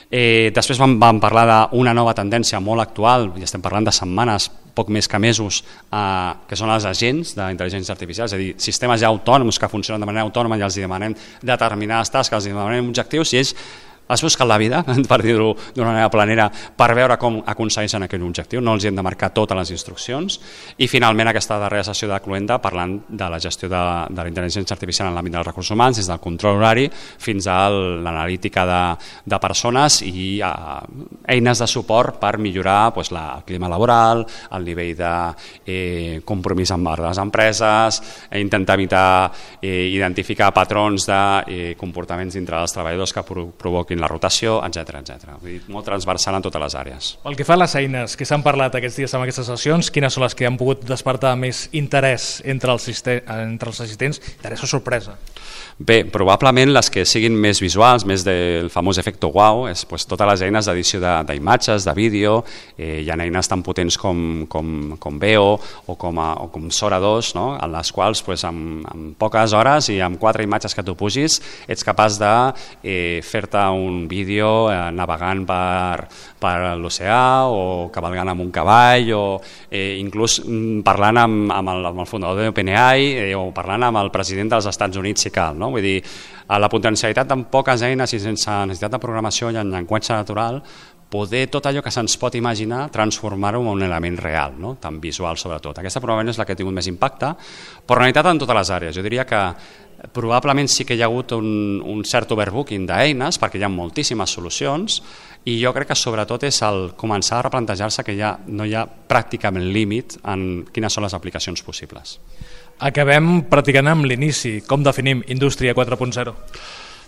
Després vam parlar d'una nova tendència molt actual, i estem parlant de setmanes, poc més que mesos, que són els agents d'intel·ligència artificial, és a dir, sistemes ja autònoms que funcionen de manera autònoma i els demanem determinades tasques, els demanem objectius i ells es busquen la vida, per dir-ho d'una manera planera, per veure com aconsegueixen aquell objectiu, no els hem de marcar totes les instruccions. I finalment aquesta darrera sessió de Cluenda parlant de la gestió de la intel·ligència artificial en l'àmbit dels recursos humans, des del control horari fins a l'analítica de persones i eines de suport per millorar el clima laboral, el nivell de compromís amb les empreses, intentar evitar identificar patrons de comportaments dintre dels treballadors que provoquin fent la rotació, etc. Vull dir, molt transversal en totes les àrees. Pel que fa a les eines que s'han parlat aquests dies en aquestes sessions, quines són les que han pogut despertar més interès entre els assistents, interès o sorpresa? Bé, probablement les que siguin més visuals, més del famós efecte wow, és totes les eines d'edició d'imatges, de vídeo, hi ha eines tan potents com Veo o com Sora 2, no? En les quals en poques hores i amb 4 imatges que tu pugis ets capaç de fer-te un vídeo navegant per l'oceà o cavalgant amb un cavall o inclús parlant amb el fundador d'OpenAI o parlant amb el president dels Estats Units si cal, no? Vull dir, la potencialitat amb poques eines i sense necessitat de programació i en llenguatge natural, poder tot allò que se'ns pot imaginar transformar-ho en un element real, no? Tan visual sobretot. Aquesta probablement és la que ha tingut més impacte, però en realitat en totes les àrees. Jo diria que probablement sí que hi ha hagut un cert overbooking d'eines perquè hi ha moltíssimes solucions i jo crec que sobretot és el començar a replantejar-se que no hi ha pràcticament límit en quines són les aplicacions possibles. Acabem practicant amb l'inici. Com definim Indústria 4.0?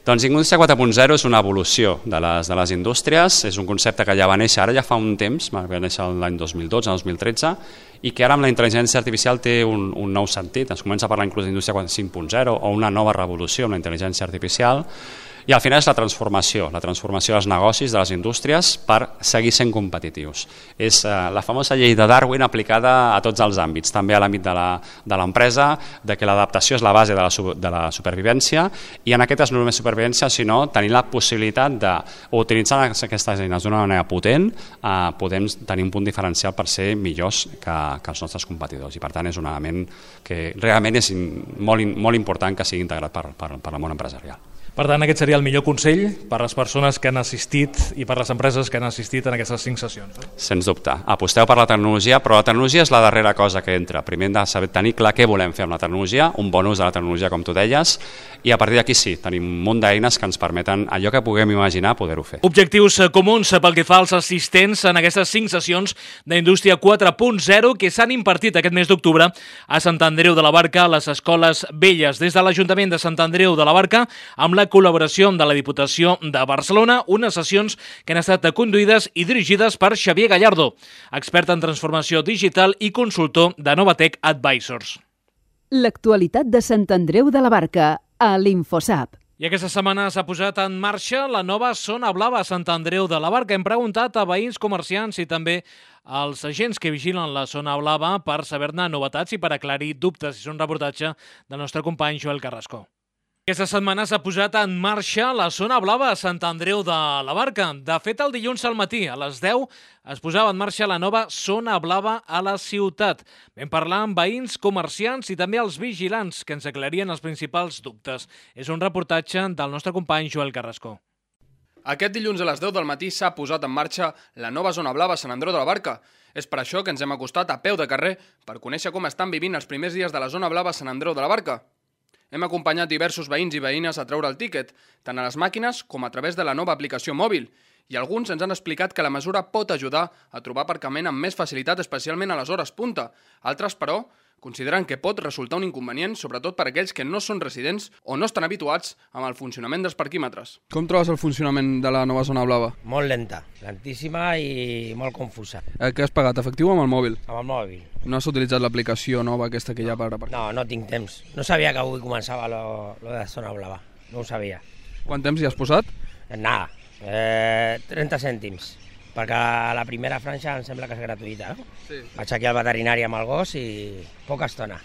Doncs Indústria 4.0 és una evolució de les indústries, és un concepte que ja va néixer, ara ja fa un temps, va néixer l'any 2012-2013, i que ara amb la intel·ligència artificial té un nou sentit. Es comença a parlar inclús d'Indústria 5.0 o una nova revolució amb la intel·ligència artificial, i al final és la transformació dels negocis, de les indústries, per seguir sent competitius. És la famosa llei de Darwin aplicada a tots els àmbits, també a l'àmbit de l'empresa, de que l'adaptació és la base de la supervivència, i en aquest és no només supervivència, sinó tenir la possibilitat d'utilitzar aquestes eines d'una manera potent, podem tenir un punt diferencial per ser millors que els nostres competidors, i per tant és un element que realment és molt important que sigui integrat per el món empresarial. Per tant, aquest seria el millor consell per les persones que han assistit i per les empreses que han assistit en aquestes 5 sessions. Sens dubte. Aposteu per la tecnologia, però la tecnologia és la darrera cosa que entra. Primer hem de saber tenir clar què volem fer amb la tecnologia, un bon ús de la tecnologia, com tu deies, i a partir d'aquí sí, tenim un munt d'eines que ens permeten allò que puguem imaginar poder-ho fer. Objectius comuns pel que fa als assistents en aquestes 5 sessions d'Indústria 4.0 que s'han impartit aquest mes d'octubre a Sant Andreu de la Barca, a les Escoles Velles. Des de l'Ajuntament de Sant Andreu de la Barca, amb la col·laboració de la Diputació de Barcelona, unes sessions que han estat conduïdes i dirigides per Xavier Gallardo, expert en transformació digital i consultor de Novatec Advisors. L'actualitat de Sant Andreu de la Barca, a l'Infosap. I aquesta setmana s'ha posat en marxa la nova zona blava a Sant Andreu de la Barca. Hem preguntat a veïns, comerciants i també als agents que vigilen la zona blava per saber-ne novetats i per aclarir dubtes. És un reportatge del nostre company Joel Carrasco. Aquesta setmana s'ha posat en marxa la zona blava a Sant Andreu de la Barca. De fet, el dilluns al matí, a les 10, es posava en marxa la nova zona blava a la ciutat. Vam parlar amb veïns, comerciants i també els vigilants que ens aclarien els principals dubtes. És un reportatge del nostre company Joel Carrasco. Aquest dilluns a les 10 del matí s'ha posat en marxa la nova zona blava a Sant Andreu de la Barca. És per això que ens hem acostat a peu de carrer per conèixer com estan vivint els primers dies de la zona blava a Sant Andreu de la Barca. Hem acompanyat diversos veïns i veïnes a treure el tíquet, tant a les màquines com a través de la nova aplicació mòbil, i alguns ens han explicat que la mesura pot ajudar a trobar aparcament amb més facilitat, especialment a les hores punta. Altres, però, consideren que pot resultar un inconvenient, sobretot per aquells que no són residents o no estan habituats amb el funcionament dels parquímetres. Com trobes el funcionament de la nova zona blava? Molt lenta, lentíssima i molt confusa. Què has pagat, efectiu o amb el mòbil? Amb el mòbil. No has utilitzat l'aplicació nova aquesta que hi ha per aparcar? No, no tinc temps. No sabia que avui començava lo de zona blava. No ho sabia. Quant temps hi has posat? Nada, 30 cèntims. Perquè la primera franja em sembla que és gratuïta, no? Sí. Vaig aquí al veterinari amb el gos i poca estona.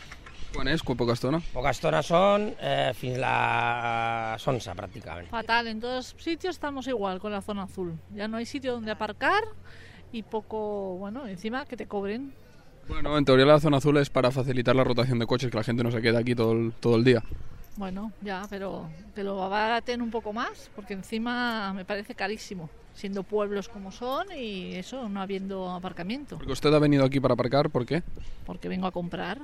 Quan és? Poca estona? Poca estona són fins a les 11 prácticamente. Fatal, en todos sitios estamos igual con la zona azul. Ya no hay sitio donde aparcar y poco, bueno, encima que te cobren. Bueno, en teoría la zona azul es para facilitar la rotación de coches, que la gente no se quede aquí todo el día. Bueno, ya, pero que lo abaraten un poco más, porque encima me parece carísimo, siendo pueblos como son y eso, no habiendo aparcamiento. Porque usted ha venido aquí para aparcar, ¿por qué? Porque vengo a comprar.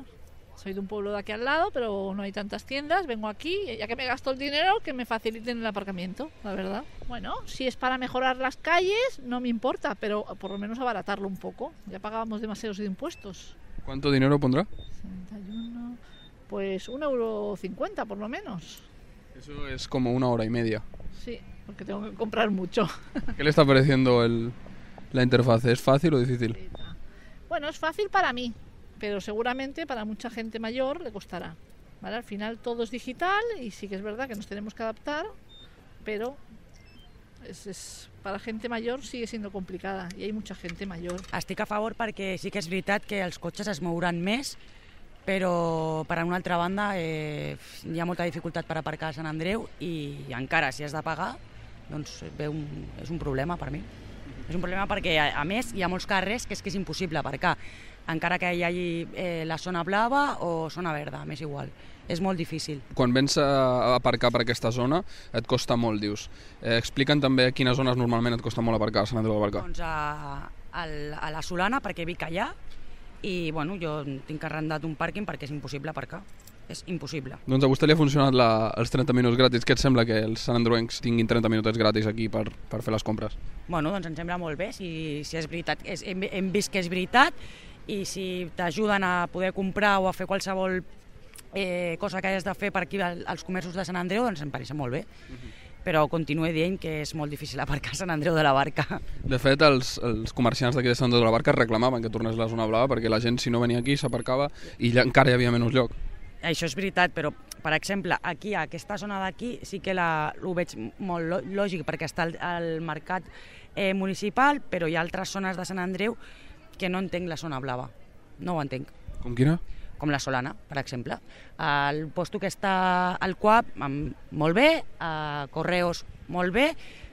Soy de un pueblo de aquí al lado, pero no hay tantas tiendas, vengo aquí, ya que me gasto el dinero, que me faciliten el aparcamiento, la verdad. Bueno, si es para mejorar las calles, no me importa, pero por lo menos abaratarlo un poco. Ya pagábamos demasiados de impuestos. ¿Cuánto dinero pondrá? 61, pues 1,50 € por lo menos. Eso es como 1 hora y media. Sí, porque tengo que comprar mucho. ¿Qué le está pareciendo la interfaz? ¿Es fácil o difícil? Bueno, es fácil para mí, pero seguramente para mucha gente mayor le costará. ¿Vale? Al final todo es digital y sí que es verdad que nos tenemos que adaptar, pero para gente mayor sigue siendo complicada i hi ha mucha gente mayor. Estic a favor perquè sí que és veritat que els cotxes es mouran més, però per una altra banda hi ha molta dificultat per aparcar a Sant Andreu i encara si has de pagar doncs és un problema per mi. És un problema perquè a més hi ha molts carrers que és impossible aparcar, encara que hi hagi la zona blava o zona verda, m'és igual. És molt difícil. Quan vens a aparcar per aquesta zona et costa molt, dius. Explica'm també a quines zones normalment et costa molt aparcar a Sant Andreu de la Barca. Doncs a la Solana, perquè vic allà, i bueno, jo tinc arrendat un pàrquing perquè és impossible aparcar. És impossible. Doncs a vostè li ha funcionat els 30 minuts gratis. Què et sembla que els sanandreuencs tinguin 30 minutets gratis aquí per fer les compres? Bueno, doncs em sembla molt bé. Si és veritat, hem vist que és veritat i si t'ajuden a poder comprar o a fer qualsevol cosa que hagis de fer per aquí als comerços de Sant Andreu, doncs em pareix molt bé. Però continuo dient que és molt difícil aparcar a Sant Andreu de la Barca. De fet, els comerciants d'aquí de Sant Andreu de la Barca reclamaven que tornés la zona blava perquè la gent, si no venia aquí, s'aparcava i encara hi havia menys lloc. Això és veritat, però, per exemple, aquí, a aquesta zona d'aquí, sí que ho veig molt lògic, perquè està el mercat municipal, però hi ha altres zones de Sant Andreu que no entenc la zona blava. No ho entenc. Com quina? Com la Solana, per exemple. El posto que està al Coap, molt bé, a Correos, molt bé,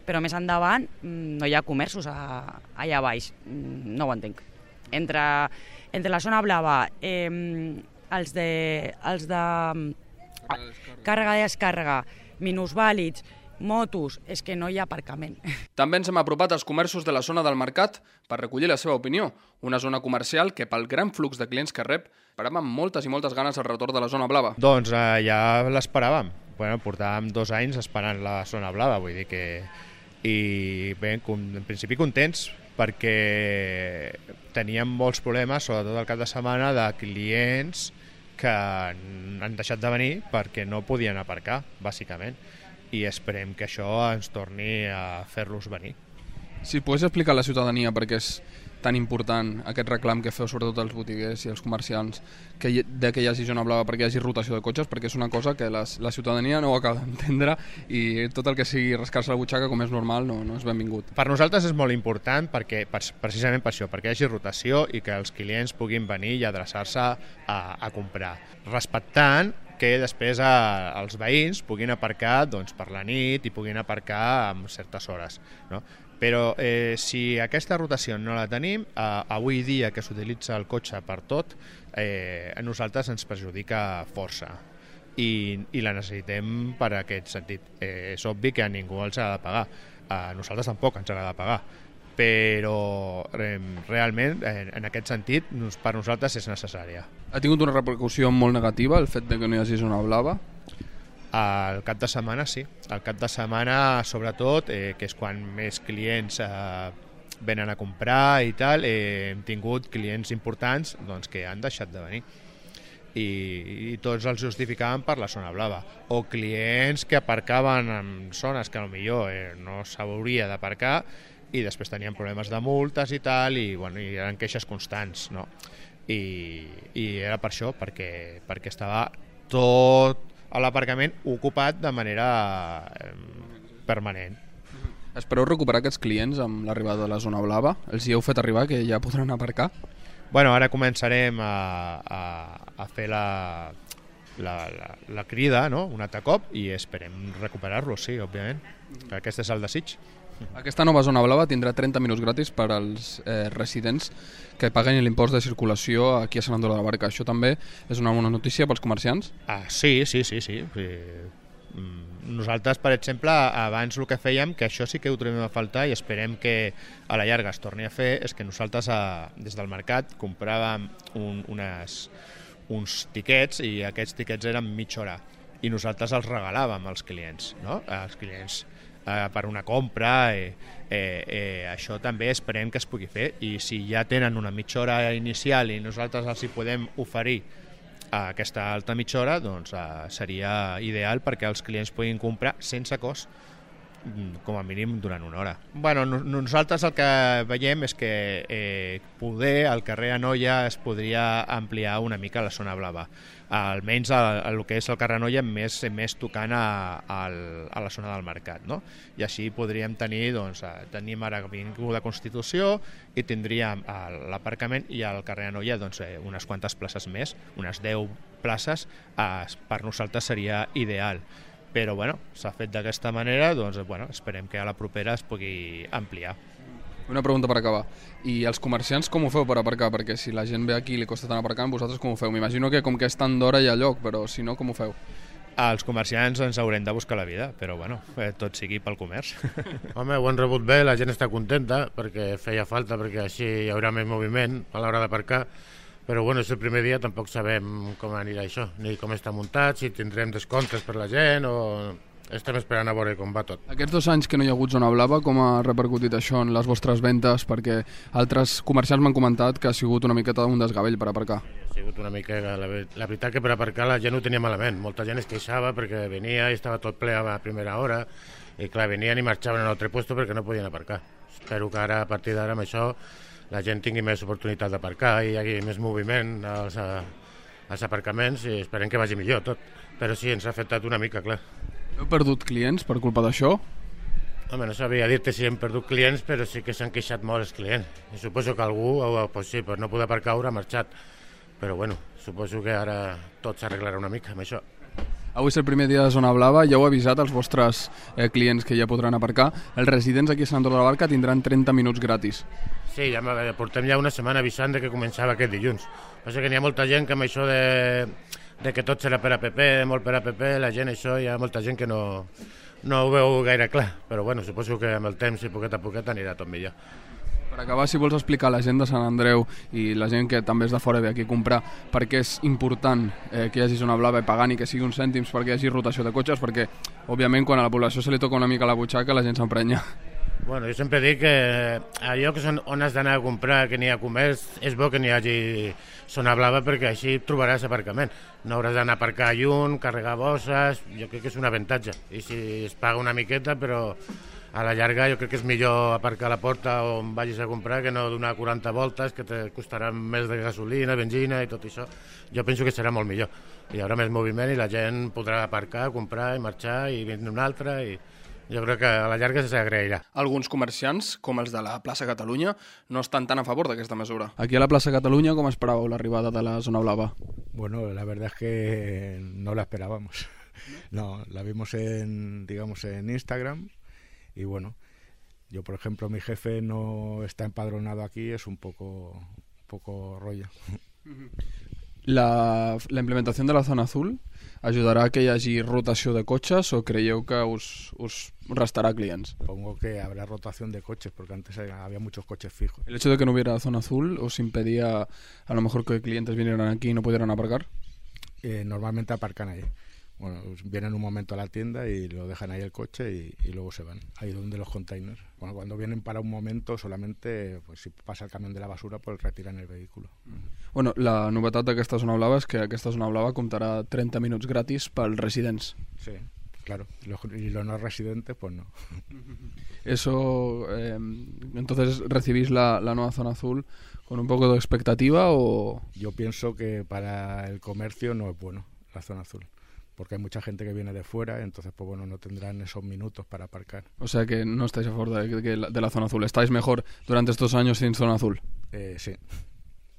però més endavant no hi ha comerços allà baix. No ho entenc. Entre la zona blava, els de càrrega i descàrrega, minusvàlids, motos, és que no hi ha aparcament. També ens hem apropat als comerços de la zona del mercat per recollir la seva opinió. Una zona comercial que, pel gran flux de clients que rep, esperàvem moltes i moltes ganes el retorn de la zona blava. Doncs ja l'esperàvem. Bueno, portàvem 2 anys esperant la zona blava, vull dir que... I bé, en principi contents, perquè teníem molts problemes, sobretot el cap de setmana, de clients que han deixat de venir perquè no podien aparcar, bàsicament. I esperem que això ens torni a fer-los venir. Si pogués explicar a la ciutadania per què és tan important aquest reclam que feu sobretot els botiguers i els comerciants que hi hagi zona blava, perquè hi hagi rotació de cotxes, perquè és una cosa que la ciutadania no ho acaba d'entendre i tot el que sigui rascar-se la butxaca, com és normal, no és benvingut. Per nosaltres és molt important perquè, precisament per això, perquè hi hagi rotació i que els clients puguin venir i adreçar-se a comprar, respectant que després els veïns puguin aparcar per la nit i puguin aparcar en certes hores, no? Però si aquesta rotació no la tenim, avui dia que s'utilitza el cotxe per tot, a nosaltres ens perjudica força i la necessitem per aquest sentit. És obvi que a ningú els ha de pagar, a nosaltres tampoc ens ha de pagar, però realment en aquest sentit per nosaltres és necessària. Ha tingut una repercussió molt negativa el fet de que no hi hagi zona blava? El cap de setmana sí, el cap de setmana sobretot, que és quan més clients venen a comprar i tal, hem tingut clients importants que han deixat de venir i tots els justificaven per la zona blava, o clients que aparcaven en zones que potser no s'hauria d'aparcar i després tenien problemes de multes i tal, i eren queixes constants, no? I era per això, perquè estava tot a l'aparcament ocupat de manera permanent. Espereu recuperar aquests clients amb l'arribada de la zona blava? Els hi heu fet arribar que ja podran aparcar? Bueno, ara començarem a fer la crida, no? Un altre cop, i esperem recuperar-los, sí, òbviament. Aquest és el desig. Aquesta nova zona blava tindrà 30 minuts gratis per als residents que paguen l'impost de circulació aquí a Sant Andreu de la Barca. Això també és una bona notícia pels comerciants? Sí. Nosaltres, per exemple, abans el que fèiem, que això sí que ho trobem a faltar i esperem que a la llarga es torni a fer, és que nosaltres des del mercat compràvem uns tiquets i aquests tiquets eren mitja hora i nosaltres els regalàvem als clients, no? Als clients per una compra, això també esperem que es pugui fer, i si ja tenen una mitja hora inicial i nosaltres els hi podem oferir aquesta altra mitja hora, doncs seria ideal perquè els clients puguin comprar sense cost com a mínim durant una hora. Bueno, nosaltres el que veiem és que poder al carrer Anoia es podria ampliar una mica la zona blava, almenys el que és el carrer Anoia més tocant a la zona del mercat, no? I així podríem tenir, doncs, tenim ara Avinguda Constitució i tindríem l'aparcament, i al carrer Anoia doncs, unes quantes places més, unes 10 places, per nosaltres seria ideal. Però bueno, s'ha fet d'aquesta manera, doncs bueno, esperem que a la propera es pugui ampliar. Una pregunta per acabar. I els comerciants com ho feu per aparcar? Perquè si la gent ve aquí i li costa tant aparcar, vosaltres com ho feu? M'imagino que com que és tant d'hora hi ha lloc, però si no, com ho feu? Els comerciants ens haurem de buscar la vida, però bueno, tot sigui pel comerç. Home, ho han rebut bé, la gent està contenta, perquè feia falta, perquè així hi haurà més moviment a l'hora d'aparcar. Però bueno, és el primer dia, tampoc sabem com anirà això, ni com està muntat, si tindrem descomptes per la gent o... Estem esperant a veure com va tot. Aquests 2 anys que no hi ha hagut zona blava, com ha repercutit això en les vostres ventes? Perquè altres comerciants m'han comentat que ha sigut una miqueta un desgavell per aparcar. Ha sigut una mica... La veritat que per aparcar la gent ho tenia malament. Molta gent es queixava perquè venia i estava tot ple a la primera hora i clar, venien i marxaven a un altre lloc perquè no podien aparcar. Espero que ara, a partir d'ara, amb això, la gent tingui més oportunitat d'aparcar i hi hagi més moviment als aparcaments i esperem que vagi millor tot. Però sí, ens ha afectat una mica, clar. Heu perdut clients per culpa d'això? Home, no sabria dir-te si hem perdut clients, però sí que s'han queixat molt els clients. I suposo que algú, pues sí, per no poder aparcar, haurà marxat. Però bueno, suposo que ara tot s'arreglarà una mica amb això. Avui és el primer dia de zona blava, ja heu avisat als vostres clients que ja podran aparcar. Els residents aquí a Sant Andreu de la Barca tindran 30 minuts gratis. Sí, ja portem ja una setmana avisant que començava aquest dilluns. Passa que n'hi ha molta gent que amb això de que tot serà per app, molt per app, la gent això, hi ha molta gent que no ho veu gaire clar, però bueno, suposo que amb el temps i poquet a poquet anirà tot millor. Per acabar, si vols explicar a la gent de Sant Andreu i la gent que també és de fora ve aquí a comprar per què és important que hi hagi zona blava i pagant i que sigui uns cèntims perquè hi hagi rotació de cotxes, perquè òbviament quan a la població se li toca una mica la butxaca la gent s'emprenya. Bueno, jo sempre dic que allò que són on has d'anar a comprar, que n'hi ha comerç, és bo que n'hi hagi zona blava perquè així trobaràs aparcament. No hauràs d'anar a aparcar lluny, carregar bosses, jo crec que és un avantatge. I si es paga una miqueta, però a la llarga jo crec que és millor aparcar a la porta on vagis a comprar que no donar 40 voltes, que te costarà més de gasolina, benzina i tot això. Jo penso que serà molt millor. Hi haurà més moviment i la gent podrà aparcar, comprar i marxar i vindre una altra i... Jo crec que a la llarga s'agrairà. Alguns comerciants, com els de la plaça Catalunya, no estan tan a favor d'aquesta mesura. Aquí a la plaça Catalunya, com esperàveu l'arribada de la zona blava? Bueno, la verdad es que no la esperábamos. No, la vimos en Instagram y bueno, yo por ejemplo, mi jefe no está empadronado aquí, es un poco rollo. La implementació de la zona azul ajudarà a que hi hagi rotació de cotxes o creieu que us restará clients? Supongo que habrá rotación de coches porque antes había muchos coches fijos. ¿El hecho de que no hubiera zona azul os impedía a lo mejor que clientes vinieran aquí y no pudieran aparcar? Normalmente aparcan ahí. Bueno, vienen un momento a la tienda y lo dejan ahí el coche y luego se van, ahí donde los containers. Bueno, cuando vienen para un momento solamente, pues si pasa el camión de la basura, pues retiran el vehículo. Bueno, la novetat d'aquesta zona blava és que aquesta zona blava comptarà 30 minuts gratis pels residents. Sí, claro, y los no residentes, pues no. Eso, entonces, ¿recibís la nueva zona azul con un poco de expectativa o...? Yo pienso que para el comercio no es bueno la zona azul, porque hay mucha gente que viene de fuera, entonces pues bueno, no tendrán esos minutos para aparcar. O sea que no estáis a favor de la zona azul, estáis mejor durante estos años sin zona azul. Sí.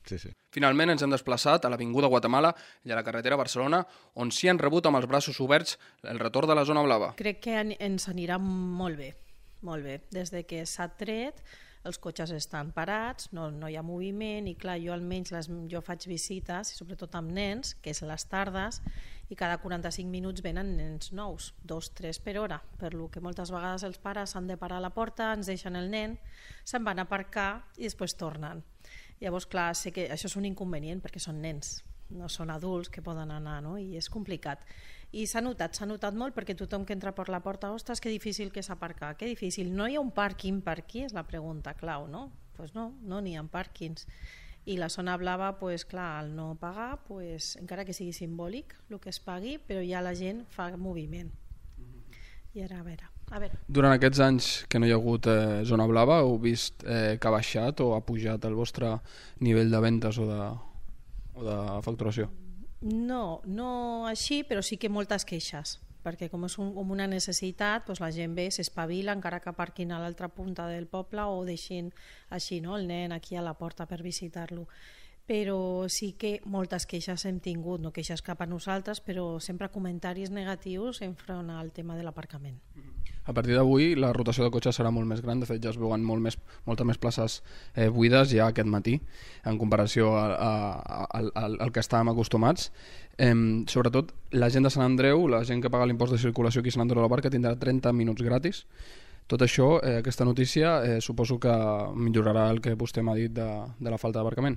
Sí. Finalment ens hem desplaçat a l'Avinguda Guatemala i a la carretera Barcelona, on s'hi han rebut amb els braços oberts el retorn de la zona blava. Crec que ens anirà molt bé. Des de que s'ha tret, els cotxes estan parats, no hi ha moviment i clar, jo almenys jo faig visites, sobretot amb nens, que és a les tardes, i cada 45 minuts venen nens nous, 2-3 per hora, per lo que moltes vegades els pares han de parar a la porta, ens deixen el nen, se'n van a aparcar i després tornen. Llavors, clar, sé que això és un inconvenient perquè són nens, no són adults que poden anar, no? I és complicat. I s'ha notat molt perquè tothom que entra per la porta, ostres, que difícil que és aparcar, que difícil. No hi ha un pàrquing per aquí, és la pregunta clau, no? Doncs no n'hi ha pàrquings. I la zona blava, pues, clar, al no pagar, pues, encara que sigui simbòlic el que es pagui, però ja la gent fa moviment. I ara a veure... A veure. Durant aquests anys que no hi ha hagut zona blava, heu vist que ha baixat o ha pujat el vostre nivell de ventes o de facturació? No així, però sí que moltes queixes, perquè com és com una necessitat, doncs la gent ve, s'espavila, encara que aparquin a l'altra punta del poble o deixin així, no, el nen aquí a la porta per visitar-lo. Però sí que moltes queixes hem tingut, no queixes cap a nosaltres, però sempre comentaris negatius enfront al tema de l'aparcament. A partir d'avui la rotació de cotxes serà molt més gran, de fet ja es veuen moltes més places buides ja aquest matí en comparació al que estàvem acostumats. Sobretot la gent de Sant Andreu, la gent que paga l'impost de circulació aquí a Sant Andreu de la Barca tindrà 30 minuts gratis. Tot això, aquesta notícia, suposo que millorarà el que vostè m'ha dit de la falta d'aparcament.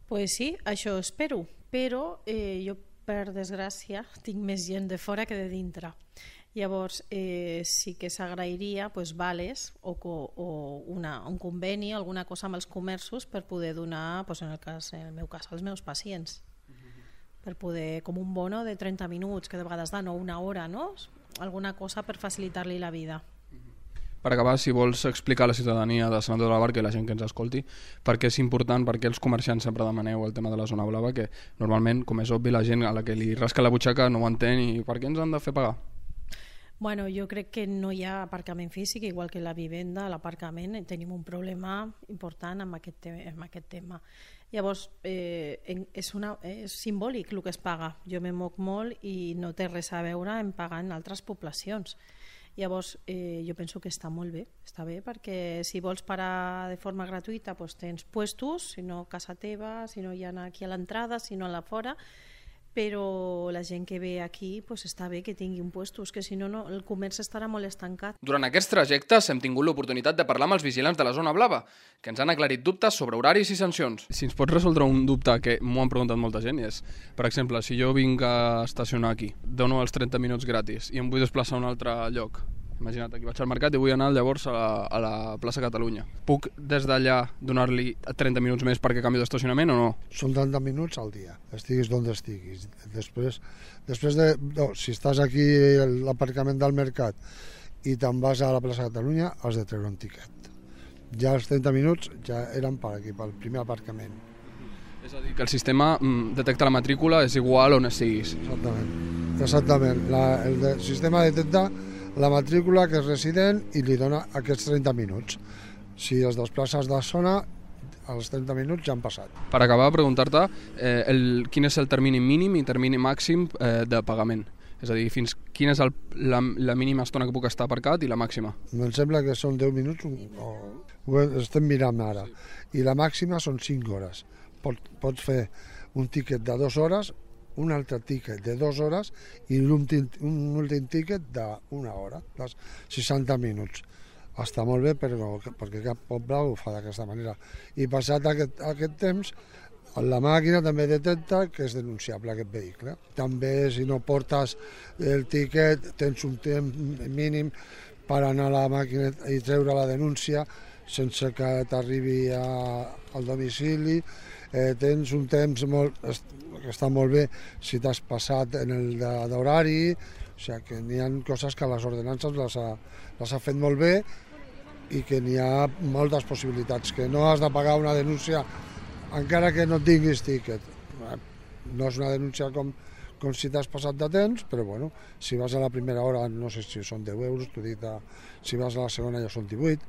Pues sí, això espero, però jo per desgràcia tinc més gent de fora que de dintre. Llavors sí que s'agrairia vales o un conveni, alguna cosa amb els comerços per poder donar, en el meu cas, als meus pacients, per poder, com un bono de 30 minuts, que de vegades dan, o una hora, no? Alguna cosa per facilitar-li la vida. Per acabar, si vols explicar a la ciutadania de Sant Andreu de la Barca i la gent que ens escolti per què és important, per què els comerciants sempre demaneu el tema de la zona blava, que normalment, com és obvi, la gent a la que li rasca la butxaca no ho entén i per què ens han de fer pagar? Bueno, jo crec que no hi ha aparcament físic, igual que la vivenda, l'aparcament, tenim un problema important amb aquest tema. Llavors, és simbòlic el que es paga. Jo me moc molt i no té res a veure en pagar en altres poblacions. Llavors, jo penso que està molt bé, està bé, perquè si vols parar de forma gratuïta tens puestos, si no a casa teva, si no hi ha aquí a l'entrada, si no a la fora, però la gent que ve aquí està bé que tingui un puestos, que si no el comerç estarà molt estancat. Durant aquests trajectes hem tingut l'oportunitat de parlar amb els vigilants de la zona blava, que ens han aclarit dubtes sobre horaris i sancions. Si ens pots resoldre un dubte que m'ho han preguntat molta gent, és, per exemple, si jo vinc a estacionar aquí, dono els 30 minuts gratis i em vull desplaçar a un altre lloc, imagina't, aquí vaig al mercat i vull anar llavors a la plaça Catalunya. Puc des d'allà donar-li 30 minuts més perquè canvio d'estacionament o no? Són 30 minuts al dia, estiguis d'on estiguis. Després si estàs aquí a l'aparcament del mercat i te'n vas a la plaça Catalunya, has de treure un tiquet. Ja els 30 minuts ja eren per aquí, pel primer aparcament. És a dir, que el sistema detecta la matrícula, és igual on estiguis. Exactament. El sistema detecta la matrícula que és resident i li dona aquests 30 minuts. Si es desplaces de zona, els 30 minuts ja han passat. Per acabar, preguntar-te quin és el termini mínim i termini màxim de pagament. És a dir, quina és la mínima estona que puc estar aparcat i la màxima? Em sembla que són 10 minuts, ho estem mirant ara, i la màxima són 5 hores. Pots fer un tiquet de 2 hores, un altre tiquet de 2 hores i un últim tiquet d'1 hora, de 60 minuts. Està molt bé perquè cap poble ho fa d'aquesta manera. I passat aquest temps, la màquina també detecta que és denunciable aquest vehicle. També si no portes el tiquet tens un temps mínim per anar a la màquina i treure la denúncia sense que t'arribi al domicili. Tens un temps que està molt bé si t'has passat en el d'horari, o sigui que n'hi ha coses que les ordenances les ha fet molt bé i que n'hi ha moltes possibilitats, que no has de pagar una denúncia encara que no tinguis tiquet. No és una denúncia com si t'has passat de temps, però bueno, si vas a la primera hora no sé si són 10 euros, si vas a la segona ja són 18.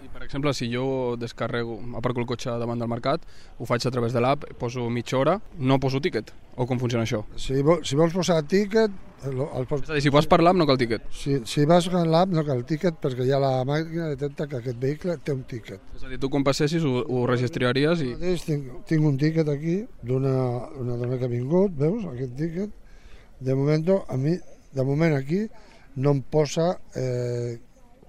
I per exemple, si jo aparco el cotxe davant del mercat, ho faig a través de l'app, poso mitja hora, no poso tíquet? O com funciona això? Si vols posar tíquet... És a dir, si vas per l'app no cal tíquet? Si vas per l'app no cal tíquet perquè ja la màquina detecta que aquest vehicle té un tíquet. És a dir, tu quan passessis ho registraries i... Tinc un tíquet aquí d'una dona que ha vingut, veus, aquest tíquet. De moment aquí no em posa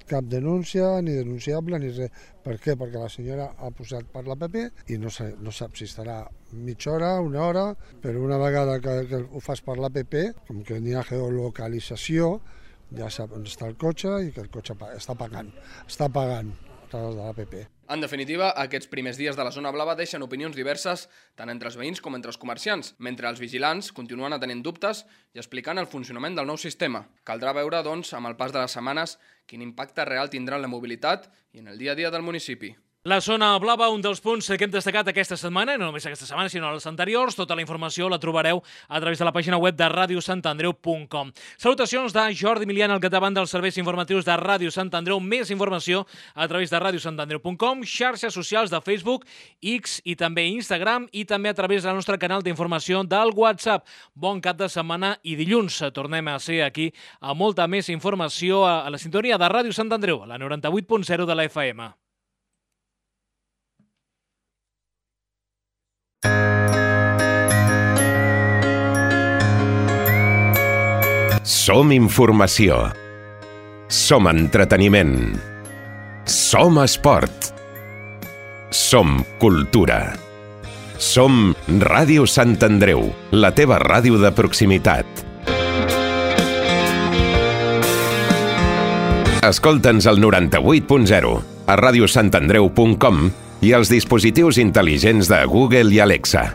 cap denúncia, ni denunciable, ni res. Per què? Perquè la senyora ha posat per l'APP i no sap si estarà mitja hora, una hora, però una vegada que ho fas per l'APP, com que n'hi ha geolocalització, ja sap on està el cotxe i que el cotxe està pagant a través de l'APP. En definitiva, aquests primers dies de la zona blava deixen opinions diverses tant entre els veïns com entre els comerciants, mentre els vigilants continuen atenent dubtes i explicant el funcionament del nou sistema. Caldrà veure, doncs, amb el pas de les setmanes, quin impacte real tindrà en la mobilitat i en el dia a dia del municipi. La zona blava, un dels punts que hem destacat aquesta setmana, i no només aquesta setmana, sinó les anteriors. Tota la informació la trobareu a través de la pàgina web de radiosantandreu.com. Salutacions de Jordi Milian, al capdavant dels serveis informatius de Ràdio Sant Andreu. Més informació a través de radiosantandreu.com, xarxes socials de Facebook, X i també Instagram, i també a través del nostre canal d'informació del WhatsApp. Bon cap de setmana i dilluns tornem a ser aquí amb molta més informació a la sintonia de Ràdio Sant Andreu, a la 98.0 de la FM. Som informació. Som entreteniment. Som esport. Som cultura. Som Ràdio Sant Andreu, la teva ràdio de proximitat. Escolta'ns al 98.0, a radiosantandreu.com i als dispositius intel·ligents de Google i Alexa.